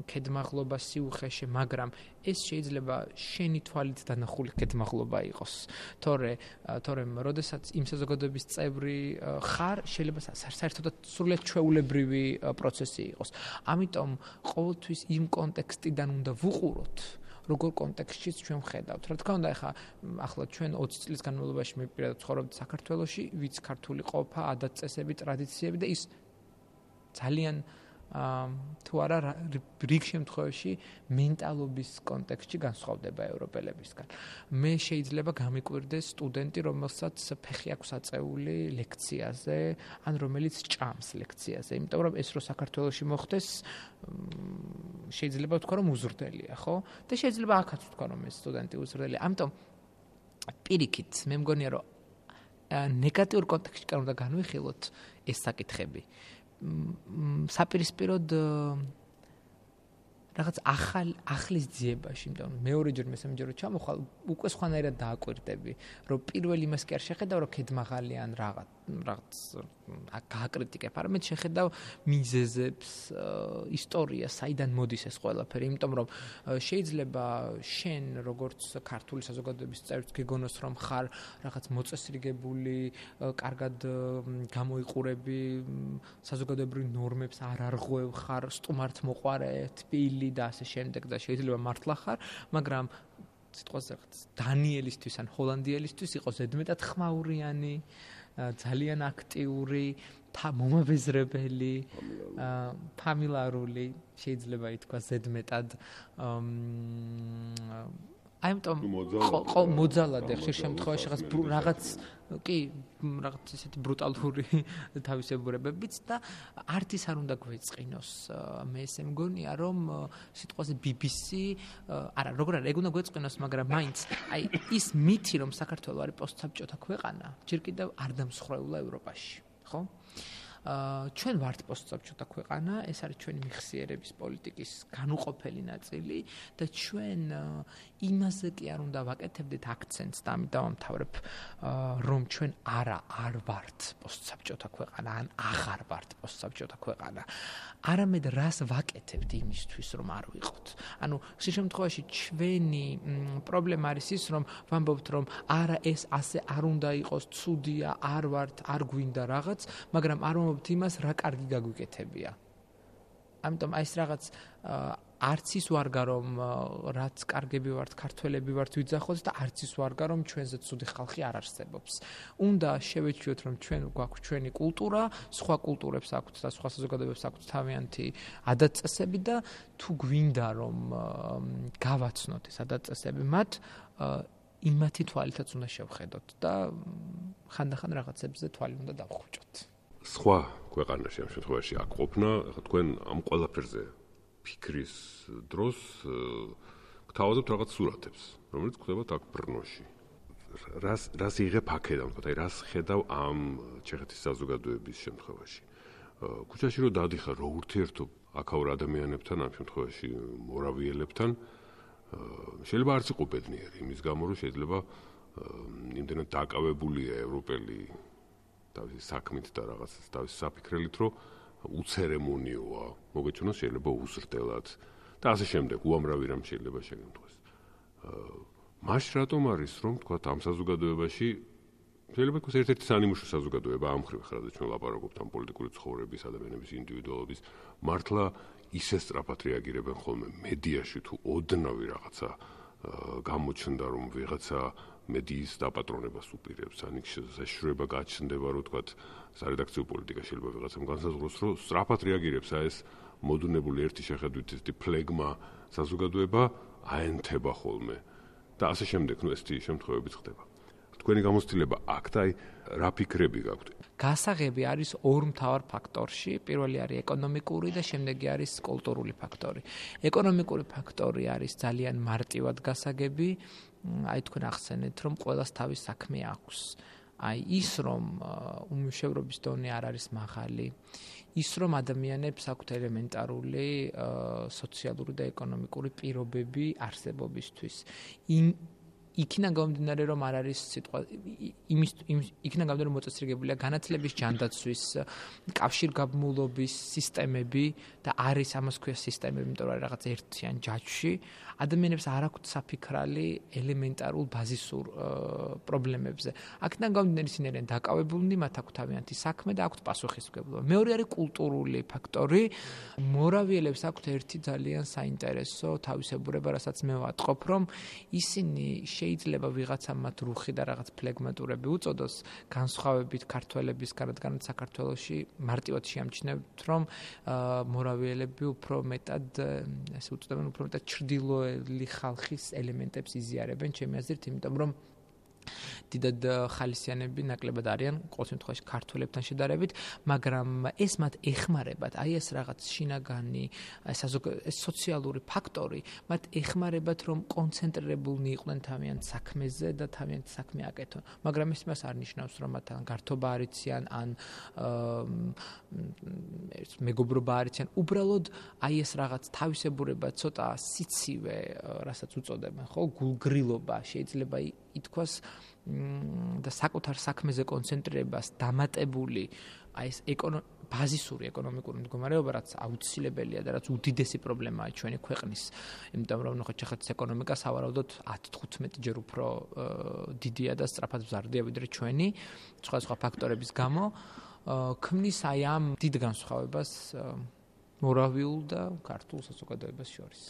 ქედმაღლობა სიუხეში, მაგრამ ეს შეიძლება შენი თვალით დანახული ქედმაღლობა იყოს. თორემ როდესაც იმ საზოგადოების წევრი ხარ, შეიძლება საერთოდაც სრულიად ჩვეულებრივი პროცესი იყოს. ამიტომ ყოველთვის იმ კონტექსტიდან უნდა ვუყუროთ, როგორ კონტექსტშიც ჩვენ ვხედავთ. რა თქმა უნდა, ახლა ჩვენ 20 წლის განმავლობაში მე პირადად ცხოვრობთ საქართველოში, ვიც ქართული ყოფა, ადათ-წესები, ტრადიციები და ის ძალიან თუ არა რიგ შემთხვევაში მენტალობის კონტექსტში განსხვავდება ევროპელებისგან. მე შეიძლება გამიკვირდეს სტუდენტი, რომელსაც ფეხი აქვს აწეული ლექციაზე, ან რომელიც ჭამს ლექციაზე, იმიტომ რომ ეს რო საქართველოში მოხდეს, შეიძლება ვთქვა რომ უზრდელია, ხო? და შეიძლება აქაც ვთქვა რომ ეს სტუდენტი უზრდელია. ამიტომ პირიქით მე მგონია რომ ნეგატიურ კონტექსტში კარ უნდა განვიხილოთ ეს საკითხები. საპირისპიროდ რაღაც ახლის ძიებაში, იმიტომ რომ მეორეჯერ მესამეჯერ ჩამოხვალ, უკვე სხვანაირად დააკვირდები, რომ პირველ იმას კი არ შეხედავ, რომ ქედმაღალი ან რაღაც რაღაც გააკრიტიკებ, არამედ შეხედავ მიზეზებს, ისტორიას, საიდან მოდის ეს ყველაფერი, იმიტომ რომ შეიძლება შენ როგორც ქართული საზოგადოების წევრიც გეგონოს რომ ხარ რაღაც მოწესრიგებული, კარგად გამოიყურები, საზოგადოებრივ ნორმებს არ არღვევ, ხარ სტუმართ მოყვარე, თბილი და ასე შემდეგ და შეიძლება მართლა ხარ, მაგრამ სიტყვაზე რაღაც დანიელისთვის ან ჰოლანდიელისთვის იყო ზედმეტად ხმაურიანი, ძალიან აქტიური, მომაბეზრებელი, ფამილარული, შეიძლება ითქვას ზედმეტად ამიტომ მოძალად ხშირ შემთხვევაში რაღაც კი რაღაც ისეთი ბრუტალური თავისებურებებიც და არც ის არ უნდა გვეწყინოს მე ესე მგონია რომ სიტყვაზე BBC არა როგორ არა ეგ უნდა გვეწყინოს მაგრამ მაინც აი ის მითი რომ საქართველო არის პოსტსაბჭოთა ქვეყანა ჯერ კიდევ არ დამსხვრეულა ევროპაში ხო ჩვენ ვართ პოსტსაბჭოთა ქვეყანა ეს არის ჩვენი მიხსიერების პოლიტიკის განუყოფელი ნაწილი და ჩვენ იმაზე კი არ უნდა ვაკეთებდეთ აქცენტს და ამით დავამთავრებ რომ ჩვენ არ ვართ პოსტსაბჭოთა ქვეყანა ან აღარ ვართ პოსტსაბჭოთა ქვეყანა არამედ რას ვაკეთებთ იმისთვის რომ არ ვიყოთ ანუ ხშირ შემთხვევაში ჩვენი პრობლემა არის ის რომ ვამბობთ რომ არა ეს ასე არ უნდა იყოს ცუდია არ ვართ არ გვინდა რაღაც მაგრამ არ ვამბობთ იმას რა კარგი გაგვიკეთებია ამიტომ აი ეს რაღაც არც ის ვარგა რომ რაც კარგები ვართ ქართველები ვართ ვიძახოთ და არც ის ვარგა რომ ჩვენზე ცუდი ხალხი არ არსებობს. უნდა შევეჩვიოთ რომ ჩვენ გვაქვს ჩვენი კულტურა, სხვა კულტურებს აქვთ და სხვა საზოგადოებებს აქვთ თავიანთი ადათ-წესები და თუ გვინდა რომ გავაცნოთ ეს ადათ-წესები მათ იმათი თვალითაც უნდა შევხედოთ და ხანდახან რაღაცებზე თვალი უნდა დავხვიჭოთ. სხვა ქვეყანაში ამ შემთხვევაში აქ ყოფნა, თქვენ ამ ყველაფერზე ფიქრის დროს გთავაზობთ რაღაც სურათებს, რომელიც გვხვდებათ აქ ბრნოში. რას იღებ აქედან, თქო, აი რას ხედავ ამ ჩეხეთის საზოგადოების შემთხვევაში. ქუჩაში რო დადიხარ, რო ურთიერთობ აქაურ ადამიანებთან, ამ შემთხვევაში მორავიელებთან, შეიძლება არც იყო ბედნიერი, იმის გამო რომ შეიძლება იმდენად დაკავებულია ევროპელი თავისი საქმით და რაღაც თავისი საფიქრებით, რომ უცერემონიოა, მოგეჩვენოს შეიძლება უზრდელად და ასე შემდეგ, უამრავი რამ შეიძლება შეგემთხვეს. მაშ რატომ არის რომ თქვა ამ საზოგადოებაში შეიძლება იყოს ერთ-ერთი სანიმუშო საზოგადოება ამ ხრივ ხარ და ჩვენ ლაპარაკობთ ამ პოლიტიკური ცხოვრების, ადამიანების ინდივიდუალობის, მართლა ისე სწრაფად რეაგირებენ ხოლმე მედიაში თუ ოდნავი რაღაცა გამოჩნდა რომ ვიღაცა მედიის დაპატრონებას უპირებს, ან იქ შეშრება გაჩნდება, რომ თქვა სარედაქციო პოლიტიკა შეიძლება ვიღაცამ განსაზღვროს, რომ სწრაფად რეაგირებს ეს მოდუნებული ერთი შეხედვით ესეთი ფლეგმა საზოგადოება აენთება ხოლმე და ასე შემდეგ, ნუ ესეთი შემთხვევებიც ხდება. თქვენი გამოცდილება აქ და აი რა ფიქრები გაქვთ? გასაღები არის ორ მთავარ ფაქტორში, პირველი არის ეკონომიკური და შემდეგი არის კულტურული ფაქტორი. ეკონომიკური ფაქტორი არის ძალიან მარტივად გასაგები, აი თქვენ ახსენეთ, რომ ყველას თავის საქმე აქვს. აი ის რომ უმუშევრობის დონე არ არის მაღალი, ის რომ ადამიანებს აქვთ ელემენტარული სოციალური და ეკონომიკური პირობები არსებობისთვის. იქიდან გამომდინარე რომ არ არის სიტყვა იქიდან გამომდინარე რომ მოწესრიგებულია განათლების ჯანდაცვის კავშირგაბმულობის სისტემები და არის ამას ქვია სისტემები, იმიტომ რომ რაღაც ერთიან ჯაჭვში ადამიანებს არ აქვთ საფიქრალი ელემენტარულ ბაზისურ პრობლემებზე. აქედან გამომდინარე ისინი არიან დაკავებულნი, მათ აქვთ თავიანთი საქმე და აქვთ პასუხისმგებლობა. მეორე არის კულტურული ფაქტორი. მორავიელებს აქვთ ერთი ძალიან საინტერესო თავისებურება, რასაც მე ვატყობ, რომ ისინი შეიძლება ვიღაცა მათ რუხი და რაღაც ფლეგმატურები უწოდოს, განსხვავებით ქართველებისგან, რადგან საქართველოში მარტივად შეამჩნევთ, რომ მორავიელები უფრო მეტად, ესე უწოდებენ, უფრო მეტად ჩრდილოელი ხალხის ელემენტებს იზიარებენ, ჩემი აზრით, იმიტომ რომ დიდად ხალისიანები ნაკლებად არიან ყოველ შემთხვევაში ქართველებთან შედარებით, მაგრამ ეს მათ ეხმარებათ, აი ეს რაღაც შინაგანი, ეს სოციალური ფაქტორი, მათ ეხმარებათ რომ კონცენტრირებულნი იყვნენ თავიანთ საქმეზე და თავიანთ საქმე აკეთონ. მაგრამ ეს იმას არ ნიშნავს, რომ მათ ან გართობა არ იციან, ან მეგობრობა არ იციან, უბრალოდ აი ეს რაღაც თავისებურება, ცოტა სიცივე, რასაც უწოდებენ, ხო, გულგრილობა შეიძლება ითქვას და საკუთარ საქმეზე კონცენტრირებას დამატებული აი ეს ბაზისური ეკონომიკური მდგომარეობა, რაც აუცილებელია და რაც უდიდესი პრობლემაა ჩვენი ქვეყნის, იმიტომ რომ ნახეთ ჩეხეთის ეკონომიკა სავარაუდოდ 10-15 ჯერ უფრო დიდია და სწრაფად მზარდია ვიდრე ჩვენი, სხვა ფაქტორების გამო, ქმნის აი ამ დიდ განსხვავებას მორავიულ და ქართულ საზოგადოებას შორის.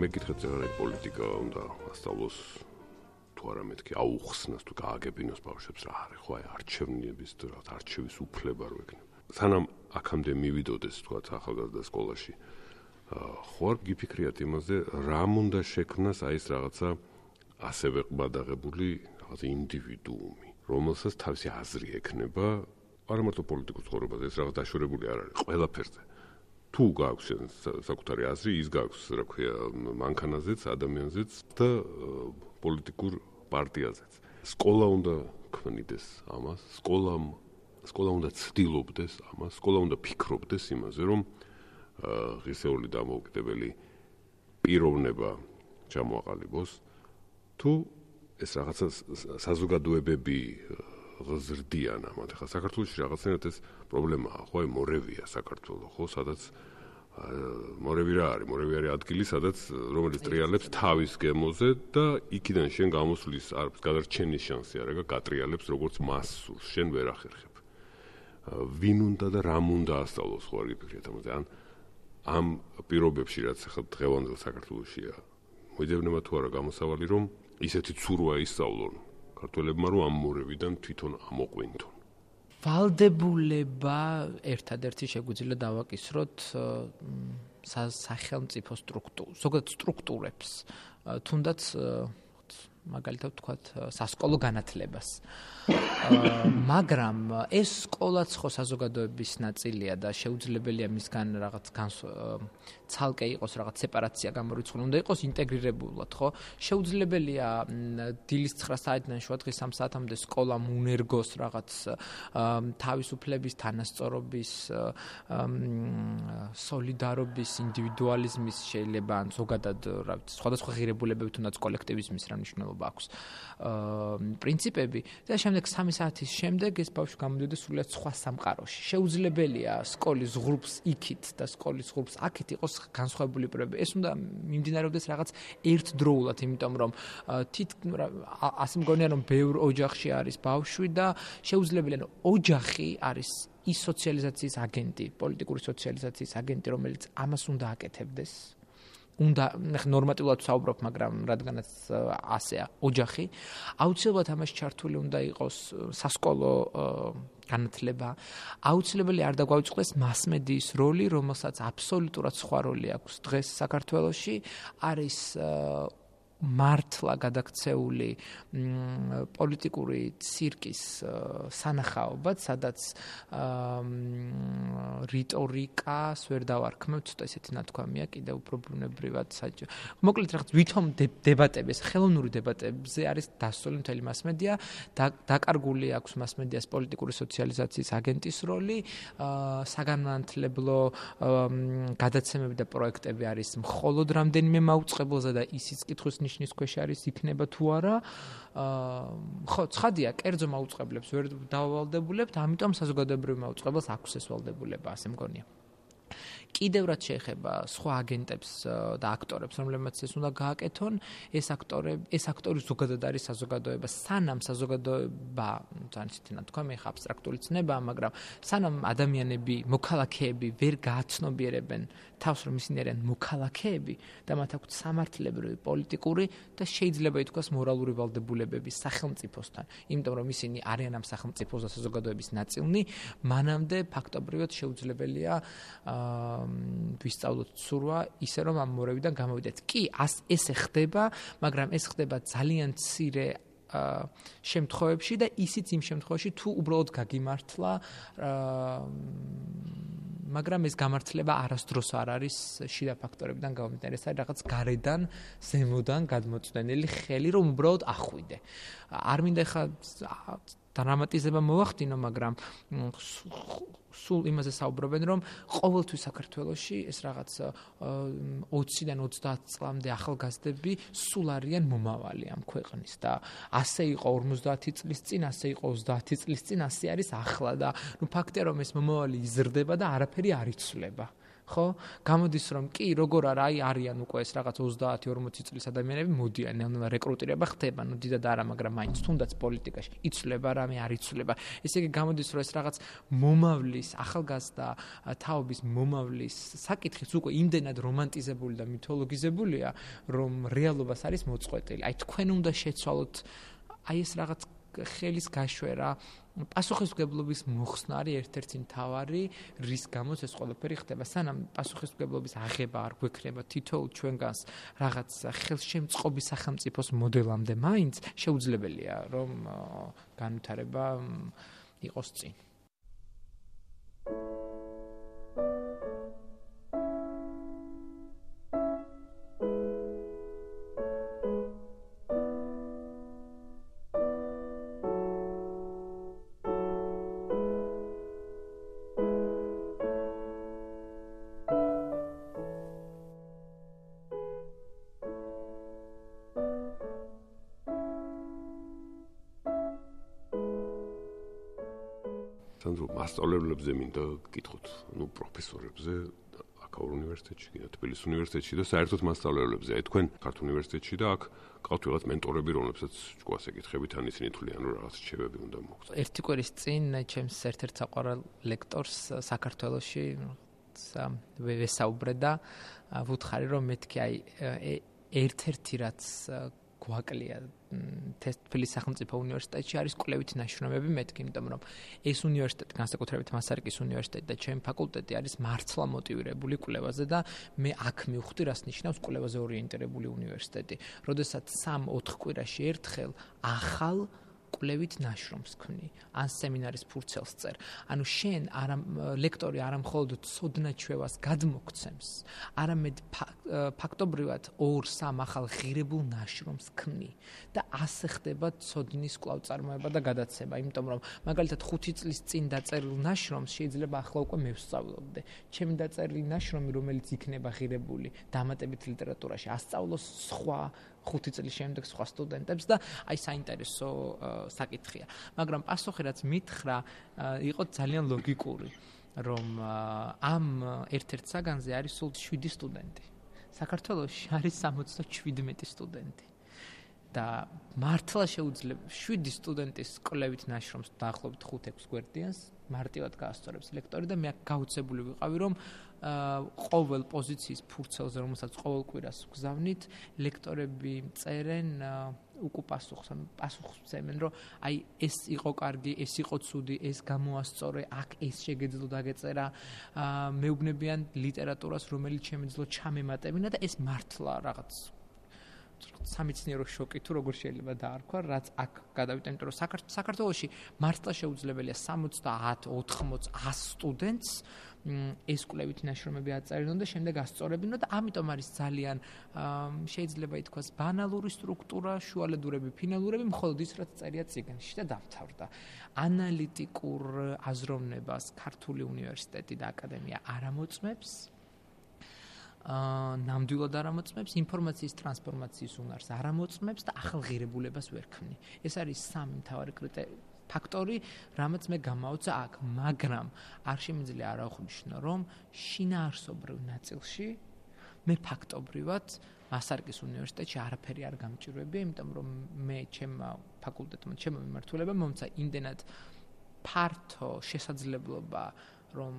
მეკითხეთ რა პოლიტიკა უნდა ასწავლოს თუ არა მეთქი აუხსნას თუ გააგებინოს ბავშვებს რა არის ხო აი არჩევნების თუ რა არჩევის უფლება რო ექნება სანამ აქამდე მივიდოდეს თქვა ახალგაზრდა სკოლაში ხო არ გიფიქრიათ იმაზე რამ უნდა შექმნას აი ეს რაღაცა ასევე ყბადაღებული რაღაცა ინდივიდუუმი რომელსაც თავისი აზრი ექნება არა მარტო პოლიტიკურ ცხოვრებაზე ეს რაღაც დაშორებული არ არის ყველაფერზე თუ გააქვს საკუთარი აზრი, ის გააქვს, რა ქვია, მანქანაზეც, ადამიანზეც და პოლიტიკურ პარტიაზეც. სკოლა უნდა ქმნიდეს ამას, სკოლა უნდა ცდილობდეს ამას, სკოლა უნდა ფიქრობდეს იმაზე, რომ ღირსეული დამოუკიდებელი პიროვნება ჩამოაყალიბოს, თუ ეს რაღაცა საზოგადოებები ღზრდიან ამათ. ახლა საქართველოში რაღაცნაირად ეს პრობლემაა, ხო, აი მორევია საქართველო, ხო, სადაც მორევი რა არის? მორევი არის ადგილი, სადაც რომელიც ტრიალებს თავის გემოზე და იქიდან შენ გამოსვლის არის გადარჩენის შანსი არა, გატრიალებს როგორც მას სურს, შენ ვერ ახერხებ. ვინ უნდა და რამ უნდა ასწავლოს, ხო არ გიფიქრეთ ამაზე? ან ამ პირობებში, რაც ახლა დღევანდელ საქართველოშია, მოიძებნება თუ არა გამოსავალი, რომ ისეთი ცურვა ისწავლონ ქართველებმა რომ ამ მორევიდან თვითონ ამოყვინთონ. ვალდებულება ერთადერთი შეგვიძლია დავაკისროთ სახელმწიფო ზოგადად სტრუქტურებს, თუნდაც მაგალითად ვთქვათ სასკოლო განათლებას. მაგრამ ეს სკოლაც ხო საზოგადოების ნაწილია და შეუძლებელია მისგან რაღაც ცალკე იყოს რაღაც სეპარაცია გამორიცხული, უნდა იყოს ინტეგრირებულად, ხო? შეუძლებელია დილის 9 საათიდან შუა დღის 3 საათამდე სკოლამ უნერგოს რაღაც თავისუფლების, თანასწორობის, სოლიდარობის, ინდივიდუალიზმის შეიძლება ან ზოგადად რა ვიცი, სხვადასხვა ღირებულებები თუნდაც კოლექტივიზმის რა მნიშვნელობა აქვს. პრინციპები და შემდეგ 3 საათის შემდეგ ეს ბავშვი გამოდიოდა სრულიად სხვა სამყაროში. შეუძლებელია სკოლის ღრუბს იქით და სკოლის ღრუბს აქეთ იყოს განსხვავებული პირობები. ეს უნდა მიმდინარეობდეს რაღაც ერთდროულად, იმიტომ რომ ასე მგონია რომ ბევრ ოჯახში არის ბავშვი და შეუძლებელია ოჯახი არის ის სოციალიზაციის აგენტი, პოლიტიკური სოციალიზაციის აგენტი, რომელიც ამას უნდა აკეთებდეს. უნდა ნორმატიულად ვსაუბრობ, მაგრამ რადგანაც ასეა ოჯახი, აუცილებლად ამაში ჩართული უნდა იყოს სასკოლო განათლება. აუცილებელი არ დაგვაუწყდეს მასმედიის როლი, რომელსაც აბსოლუტურად სხვა როლი აქვს დღეს საქართველოში, არის მართლა გადაქცეული პოლიტიკური ცირკის სანახაობად, სადაც რიტორიკას ვერ დავარქმევ, ცოტა ესეთი ნათქვამია, კიდევ უფრო ბუნებრივად საჭირო. მოკლედ რაღაც ვითომ დებატები, ეს ხელოვნური დებატებზე არის დასწრული მთელი მასმედია, დაკარგული აქვს მასმედიას პოლიტიკური სოციალიზაციის აგენტის როლი, საგანმანათლებლო გადაცემები და პროექტები არის მხოლოდ რამდენიმე მაუწყებელზე და ისიც კითხვის ნიშნის ქვეშ არის იქნება თუ არა. ხო, ცხადია, კერძო მაუწყებლებს ვერ დავალდებულებთ, ამიტომ საზოგადოებრივ მაუწყებელს აქვს ეს ვალდებულება, ასე მგონია. კიდევ რაც შეეხება სხვა აგენტებს და აქტორებს, რომლებმაც ეს უნდა გააკეთონ, ეს აქტორი ზოგადად არის საზოგადოება. სანამ საზოგადოება, ძალიან ისეთი ნათქვამი, ხა აბსტრაქტული ცნებაა, მაგრამ სანამ ადამიანები, მოქალაქეები ვერ გააცნობიერებენ თავს, რომ ისინი არიან მოქალაქეები და მათ აქვთ სამართლებრივი, პოლიტიკური და შეიძლება ითქვას მორალური ვალდებულებები სახელმწიფოსთან, იმიტომ რომ ისინი არიან ამ სახელმწიფოს და საზოგადოების ნაწილნი, მანამდე ფაქტობრივად შეუძლებელია ვისწავლოთ ცურვა ისე რომ ამ მორევიდან გამოვიდეთ. კი, ესე ხდება, მაგრამ ეს ხდება ძალიან მცირე შემთხვევებში და ისიც იმ შემთხვევაში თუ უბრალოდ გაგიმართლა მაგრამ ეს გამართლება არასდროს არ არის შიდა ფაქტორებიდან გამომდინარე, ეს არის რაღაც გარედან, ზემოდან გადმოწვდენილი ხელი, რომ უბრალოდ ახვიდე. არ მინდა ხა დრამატიზება მოვახდინო, მაგრამ სულ იმაზე საუბრობენ, რომ ყოველთვის საქართველოში ეს რაღაც 20-დან 30 წლამდე ახალგაზრდები სულ არიან მომავალი ამ ქვეყნის და ასე იყო 50 წლის წინ, ასე იყო 30 წლის წინ, ასე არის ახლა და ნუ ფაქტია რომ ეს მომავალი იზრდება და არაფერი არ იცვლება. ხო? გამოდის რომ კი, როგორ არა, არიან უკვე ეს რაღაც 30-40 წლის ადამიანები მოდიან, რეკრუტირება ხდება, ნუ დიდად არა, მაგრამ მაინც თუნდაც პოლიტიკაში იცვლება რამე არ იცვლება. ესე იგი გამოდის რომ ეს რაღაც მომავლის, ახალგაზრდა თაობის მომავლის საკითხიც უკვე იმდენად რომანტიზებული და მითოლოგიზებულია, რომ რეალობას არის მოწყვეტილი. აი თქვენ უნდა შეცვალოთ აი ეს რაღაც ხელის გაშვერა, პასუხისმგებლობის მოხსნა არის ერთ-ერთი მთავარი, რის გამოც ეს ყველაფერი ხდება. სანამ პასუხისმგებლობის აღება არ გვექნება თითოეულ ჩვენგანს რაღაც ხელშემწყობი სახელმწიფოს მოდელამდე, მაინც შეუძლებელია რომ განვითარება იყოს წინ. მასწავლებლებზე მინდა გკითხოთ, ნუ პროფესორებზე, აქაურ უნივერსიტეტში, თბილისის უნივერსიტეტში და საერთოდ მასწავლებლებზე. აი თქვენ ქართულ უნივერსიტეტში და აქ ყავთ რაღაც მენტორები, რომლებსაც ჯგუფს ეკითხებით, ან ისინი თვლიან, რომ რაღაც რჩევები უნდა მოგცეთ. ერთი კვირის წინ ჩემს ერთ-ერთ საყვარელ ლექტორს საქართველოში ვესაუბრე და ვუთხარი, რომ მეთქი აი ერთ-ერთი რაც გვაკლია თბილისის სახელმწიფო უნივერსიტეტში არის კვლევითი ნაშრომები მეთქი, იმიტომ რომ ეს უნივერსიტეტი, განსაკუთრებით მასარიკის უნივერსიტეტი და ჩემი ფაკულტეტი არის მართლა მოტივირებული კვლევაზე და მე აქ მივხვდი, რას ნიშნავს კვლევაზე ორიენტირებული უნივერსიტეტი. როდესაც 3-4 კვირაში ერთხელ ახალ კვლევით ნაშრომს ქმნი, ან სემინარის ფურცელს წერ. ანუ შენ ლექტორი არა მხოლოდ ცოდნაჩვევას გადმოგცემს, არამედ ფაქტობრივად 2-3 ახალ ღირებულ ნაშრომს ქმნი და ასე ხდება ცოდნის კვლავწარმოება და გადაცემა, იმიტომ რომ მაგალითად 5 წლის წინ დაწერილ ნაშრომს შეიძლება ახლა უკვე მე ვსწავლობდე. ჩემი დაწერილი ნაშრომი, რომელიც იქნება ღირებული დამატებით ლიტერატურაში, ასწავლოს სხვა 5 წლის შემდეგ სხვა სტუდენტებს და აი საინტერესო საკითხია. მაგრამ პასუხი რაც მითხრა, იყო ძალიან ლოგიკური, რომ ამ ერთ-ერთ საგანზე არის სულ 7 სტუდენტი. საქართველოში არის 77 სტუდენტი. და მართლა შეუძლია 7 სტუდენტის კვლევით ნაშრომს დაახლოებით 5-6 გვერდიანს მარტივად გაასწორებს ლექტორი და მე გაუცებული ვიყავი, რომ ყოველ პოზიციის ფურცელზე, რომელსაც ყოველ კვირას ვგზავნით, ლექტორები წერენ უკუ პასუხს, ანუ პასუხს წერენ, რომ აი ეს იყო კარგი, ეს იყო ცუდი, ეს გამოასწორე, აქ ეს შეგეძლო დაგეწერა, მეუბნებიან ლიტერატურას, რომელიც შემეძლო ჩამემატებინა და ეს მართლა რაღაც სამეცნიერო შოკი თუ როგორ შეიძლება დაარქვა, რაც აქ გადავიდა, იმიტომ რომ საქართველოში მართლა შეუძლებელია 70, 80, 100 სტუდენტს ეს კვლევითი ნაშრომები აწერინონ და შემდეგ ასწორებინონ და ამიტომ არის ძალიან შეიძლება ითქვას ბანალური სტრუქტურა, შუალედურები, ფინალურები, მხოლოდ ის რაც წერია წიგნში და დამთავრდა. ანალიტიკურ აზროვნებას ქართული უნივერსიტეტი და აკადემია არ ამოწმებს. ნამდვილად არ ამოწმებს, ინფორმაციის ტრანსფორმაციის უნარს არ ამოწმებს და ახალ ღირებულებას ვერ ქმნი. ეს არის სამი მთავარი ფაქტორი, რამაც მე გამაოცე აქ, მაგრამ არ შემიძლია არ აღვნიშნო, რომ შინაარსობრივ ნაწილში მე ფაქტობრივად მასარიკის უნივერსიტეტში არაფერი არ გამჭირვებია, იმიტომ რომ მე ჩემმა ფაკულტეტმა, ჩემმა მიმართულებამ მომცა იმდენად ფართო შესაძლებლობა, რომ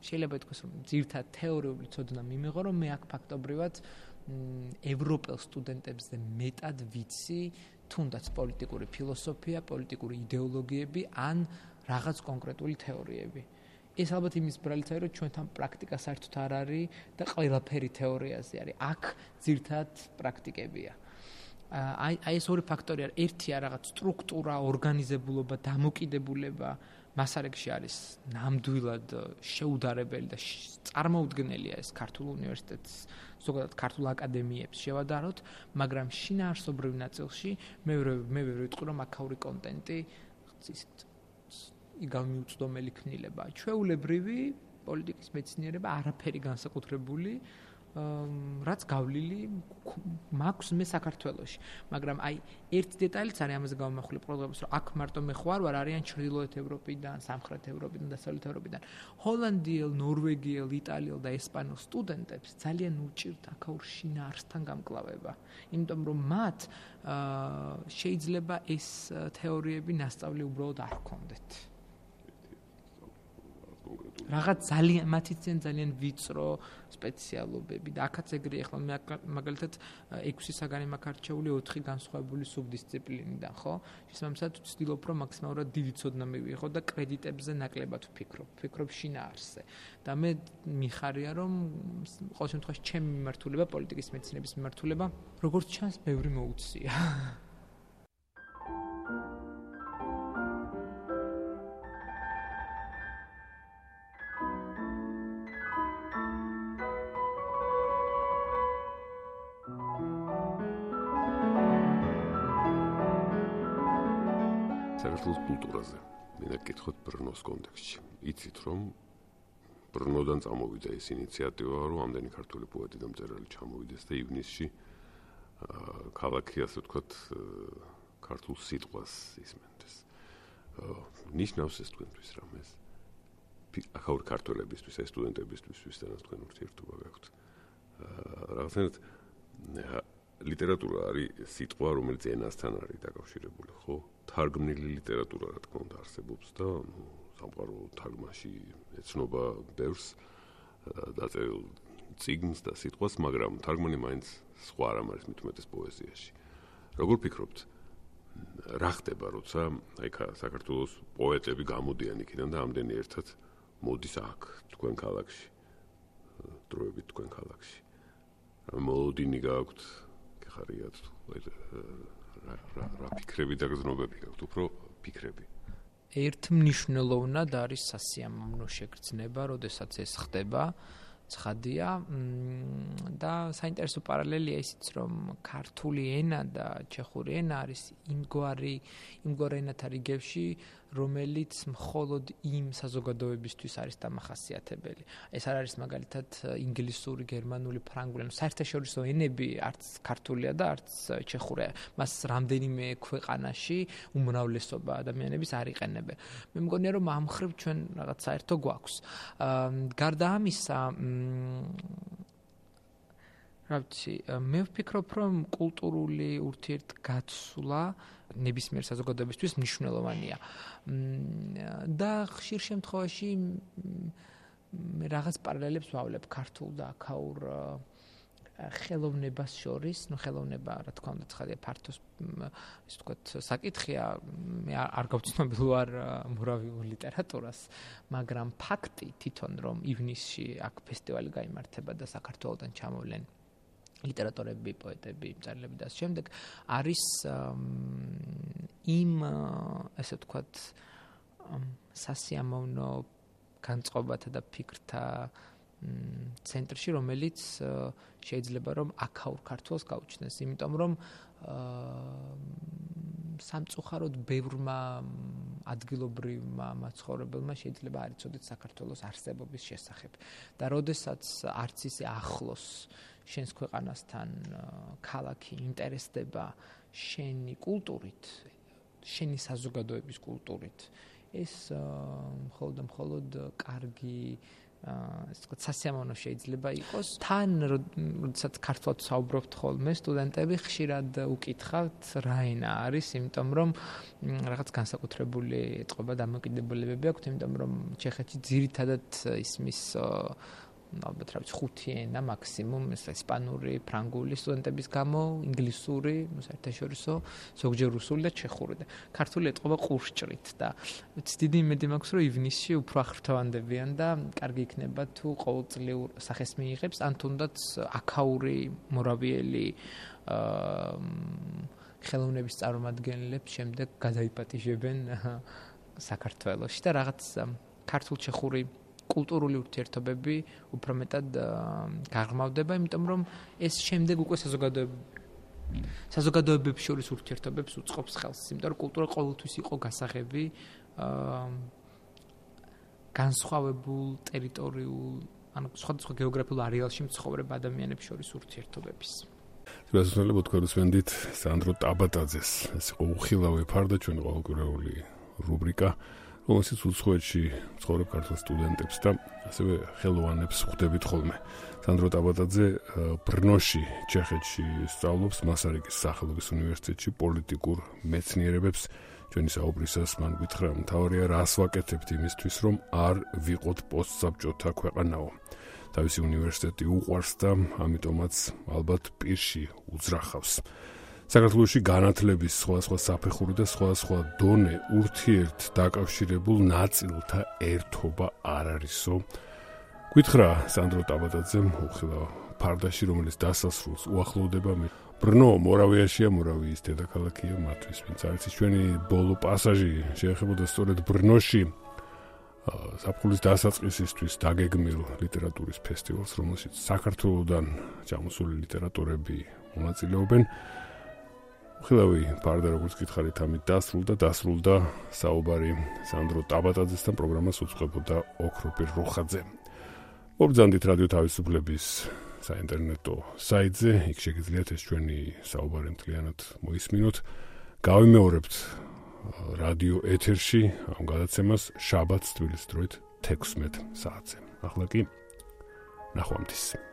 შეიძლება ითქვას, რომ ძირითადად თეორიული ცოდნა მიმიღო, რომ მე აქ ფაქტობრივად ევროპელ სტუდენტებზე მეტად ვიცი თუნდაც პოლიტიკური ფილოსოფია, პოლიტიკური იდეოლოგიები ან რაღაც კონკრეტული თეორიები. ეს ალბათ იმის ბრალიც არის, რომ ჩვენთან პრაქტიკა საერთოდ არ არის და ყველაფერი თეორიაზე არის. აქ ძირითადად პრაქტიკებია. აი ეს ორი ფაქტორი არის. ერთია რაღაც სტრუქტურა, ორგანიზებულობა, დამოკიდებულება, მასარეგში არის ნამდვილად შეუდარებელი და წარმოუდგენელია ეს ქართულ უნივერსიტეტს, ზოგადად ქართულ აკადემიებს შევადაროთ, მაგრამ შინაარსობრივ ნაწილში მე ვერ ვიტყვი რომ აქაური კონტენტი იგავმიუწვდომელი ქნილება. ჩვეულებრივი პოლიტიკის მეცნიერება არაფერი განსაკუთრებული რაც გავლილი მაქვს მე საქართველოში, მაგრამ აი ერთ დეტალიც არის ამაზე გამომახული პრობლემას, რომ აქ მარტო მე ხوار ვარ, არიან ჩრდილოეთ ევროპიდან, სამხრეთ ევროპიდან, დასავლეთ ევროპიდან. ჰოლანდიელ, ნორვეგიელ, იტალიელ და ესპანელ სტუდენტებს ძალიან უჭირთ აქაურ შინაარსთან გამკლავება, იმიტომ რომ მათ შეიძლება ეს თეორიები ნასწავლი უბრალოდ არ ჰქონდეთ. რაღაც ძალიან მათი ძალიან ვიწრო სპეციალობები და აქაც ეგრეა. ახლა მე მაგალითად 6 საგანი მაქვს არჩეული 4 განსხვავებული სუბდისციპლინიდან, ხო? შესაბამისად ვცდილობ რომ მაქსიმალურად დიდი ცოდნა მივიღო და კრედიტებზე ნაკლებად ვფიქრობ შინაარსზე. და მე მიხარია რომ ყოველ შემთხვევაში ჩემი მიმართულება პოლიტიკის მეცნიერების მიმართულება როგორც ჩანს ბევრი მოუწია. საქართველოს კულტურაზე. მინდა გკითხოთ ბრნოს კონტექსტში. იცით რომ ბრნოდან წამოვიდა ეს ინიციატივა, რომ ამდენი ქართული პოეტი და მწერალი ჩამოვიდეს და ივნისში ქალაქი ასე ვთქვათ ქართულ სიტყვას ისმენდეს. ნიშნავს ეს თქვენთვის რამეს? ახალ ქართველებისთვის, ეს სტუდენტებისთვის, ვისთანაც თქვენ ურთიერთობა გაქვთ. რაღაცნაირად ლიტერატურა არის სიტყვა, რომელიც ენასთან არის დაკავშირებული, ხო? თარგმნილი ლიტერატურა რა თქმა უნდა არსებობს და სამყარო თარგმანში ეცნობა ბევრს დაწერილ წიგნს და სიტყვას, მაგრამ თარგმანი მაინც სხვა რამ არის მით უმეტეს პოეზიაში. როგორ ფიქრობთ, რა ხდება, როცა აი საქართველოს პოეტები გამოდიან იქიდან და ამდენი ერთად მოდის აქ თქვენ ქალაქში, დროებით თქვენ ქალაქში. მოლოდინი გაქვთ, გეხარიათ რა ფიქრები და გზნობები გაქვთ, უფრო ფიქრები. ერთმნიშვნელოვნად არის სასიამოვნო შეგრძნება, როდესაც ეს ხდება, ცხადია და საინტერესო პარალელია ისიც, რომ ქართული ენა და ჩეხური ენა არის იმგვარი ენათა რიგებში, რომელიც მხოლოდ იმ საზოგადოებისთვის არის დამახასიათებელი. ეს არ არის მაგალითად ინგლისური, გერმანული, ფრანგული, საერთაშორისო ენები არც ქართულია და არც ჩეხურია. მას რამდენიმე ქვეყანაში უმრავლესობა ადამიანების არ იყენებენ. მე მგონია რომ ამ ხრივ ჩვენ რაღაც საერთო გვაქვს. გარდა ამისა, მე ვფიქრობ, რომ კულტურული ურთიერთგაცვლა ნებისმიერ საზოგადოებისთვის მნიშვნელოვანია. და ხშირ შემთხვევაში მე რაღაც პარალელებს ვავლებ ქართულ და აქაურ ხელოვნებას შორის, ხელოვნება, რა თქმა უნდა, ცხადია ფართო ისე ვთქვათ, საკითხია, მე არ გავცნობილ ვარ მორავიულ ლიტერატურას, მაგრამ ფაქტი თვითონ რომ ივნისში აქ ფესტივალი გაიმართება და საქართველოდან ჩამოვლენ ლიტერატორები, პოეტები, მწერლები და შემდეგ არის იმ ესე ვთქვათ სასიამოვნო განწყობათა და ფიქრთა ცენტრში, რომელიც შეიძლება რომ აქაურ ქართულს გაუჩნდეს, იმიტომ რომ სამწუხაროდ ბევრმა ადგილობრივმა მაცხოვრებელმა შეიძლება არ იცოდეთ საქართველოს არსებობის შესახებ და როდესაც არც ისე ახლოს შენს ქვეყანასთან ქალაქი ინტერესდება შენი კულტურით, შენი საზოგადოების კულტურით, ეს მხოლოდ კარგი ასე ვთქვათ, სასიამოვნო შეიძლება იყოს. თან, როდესაც ქართულად საუბრობთ ხოლმე, სტუდენტები ხშირად უკითხავთ რა ენა არის, იმიტომ რომ რაღაც განსაკუთრებული ეთყობა დამოკიდებულებები აქვთ, იმიტომ რომ ჩეხეთში ძირითადად ისმის ალბათ რა ვიცი 5 ენა მაქსიმუმ, ესპანური, ფრანგული სტუდენტების გამო, ინგლისური, საერთაშორისო, ზოგჯერ რუსული და ჩეხური და ქართული ეთყობა ყურსჭრით და დიდი იმედი მაქვს, რომ ივნისში უფრო აღფრთოვანდებიან და კარგი იქნება თუ ყოველწლიურ სახეს მიიღებს, ან თუნდაც აქაური, მორავიელი ხელოვნების წარმომადგენლებს შემდეგ გადაიპატიჟებენ საქართველოში და რაღაც ქართულ-ჩეხური კულტურული ურთიერთობები უფრო მეტად გაღრმავდება, იმიტომ რომ ეს შემდეგ უკვე საზოგადოებებს შორის ურთიერთობებს უწყობს ხელს, იმიტომ რომ კულტურა ყოველთვის იყო გასაღები განსხვავებულ ტერიტორიულ, ანუ სხვადასხვა გეოგრაფიულ არეალში მცხოვრებ ადამიანებს შორის ურთიერთობების. გასასვლელად თქვენდით სანდრო ტაბატაძეს, ეს იყო უხილავი ფარდა ჩვენი ყოველკვირეული რუბრიკა, რომელშიც უცხოეთში მცხოვრებ ქართულ სტუდენტებს და ასევე ხელოვანებს ხვდებით ხოლმე. სანდრო ტაბატაძე ბრნოში, ჩეხეთში სწავლობს მასარიკის სახელობის უნივერსიტეტში პოლიტიკურ მეცნიერებებს. ჩვენი საუბრისას მან გითხრა, მთავარია რას ვაკეთებთ იმისთვის, რომ არ ვიყოთ პოსტსაბჭოთა ქვეყანაო. თავისი უნივერსიტეტი უყვარს და ამიტომაც ალბათ პირში უძრახავს. საქართველოში განათლების სხვადასხვა საფეხური და სხვადასხვა დონე ურთიერთ დაკავშირებულ ნაწილთა ერთობა არ არისო. გითხრა სანდრო ტაბატაძემ უხილავ ფარდაში, რომელიც დასასრულს უახლოვდება. ბრნო მორავიაშია, მორავიის დედაქალაქია მათთვის, ვინც არის ჩვენი ბოლო პასაჟი შეეხებოდა სწორედ ბრნოში ზაფხულის დასაწყისისთვის დაგეგმილ ლიტერატურის ფესტივალს, რომელშიც საქართველოდან ჩამოსული ლიტერატორები მონაწილეობენ. ხილავი ფარდა როგორც გითხარით ამით დასრულდა საუბარი სანდრო ტაბატაძესთან, პროგრამას უწყებოდა ოქროპირ როხაძე. მობრძანდით რადიო თავისუფლების საინტერნეტო საიტზე, იქ შეგიძლიათ ეს ჩვენი საუბარი მთლიანად მოისმინოთ. გავიმეორებთ რადიო ეთერში ამ გადაცემას შაბათს თბილისის დროით 16 საათზე. ახლა კი ნახვამდის.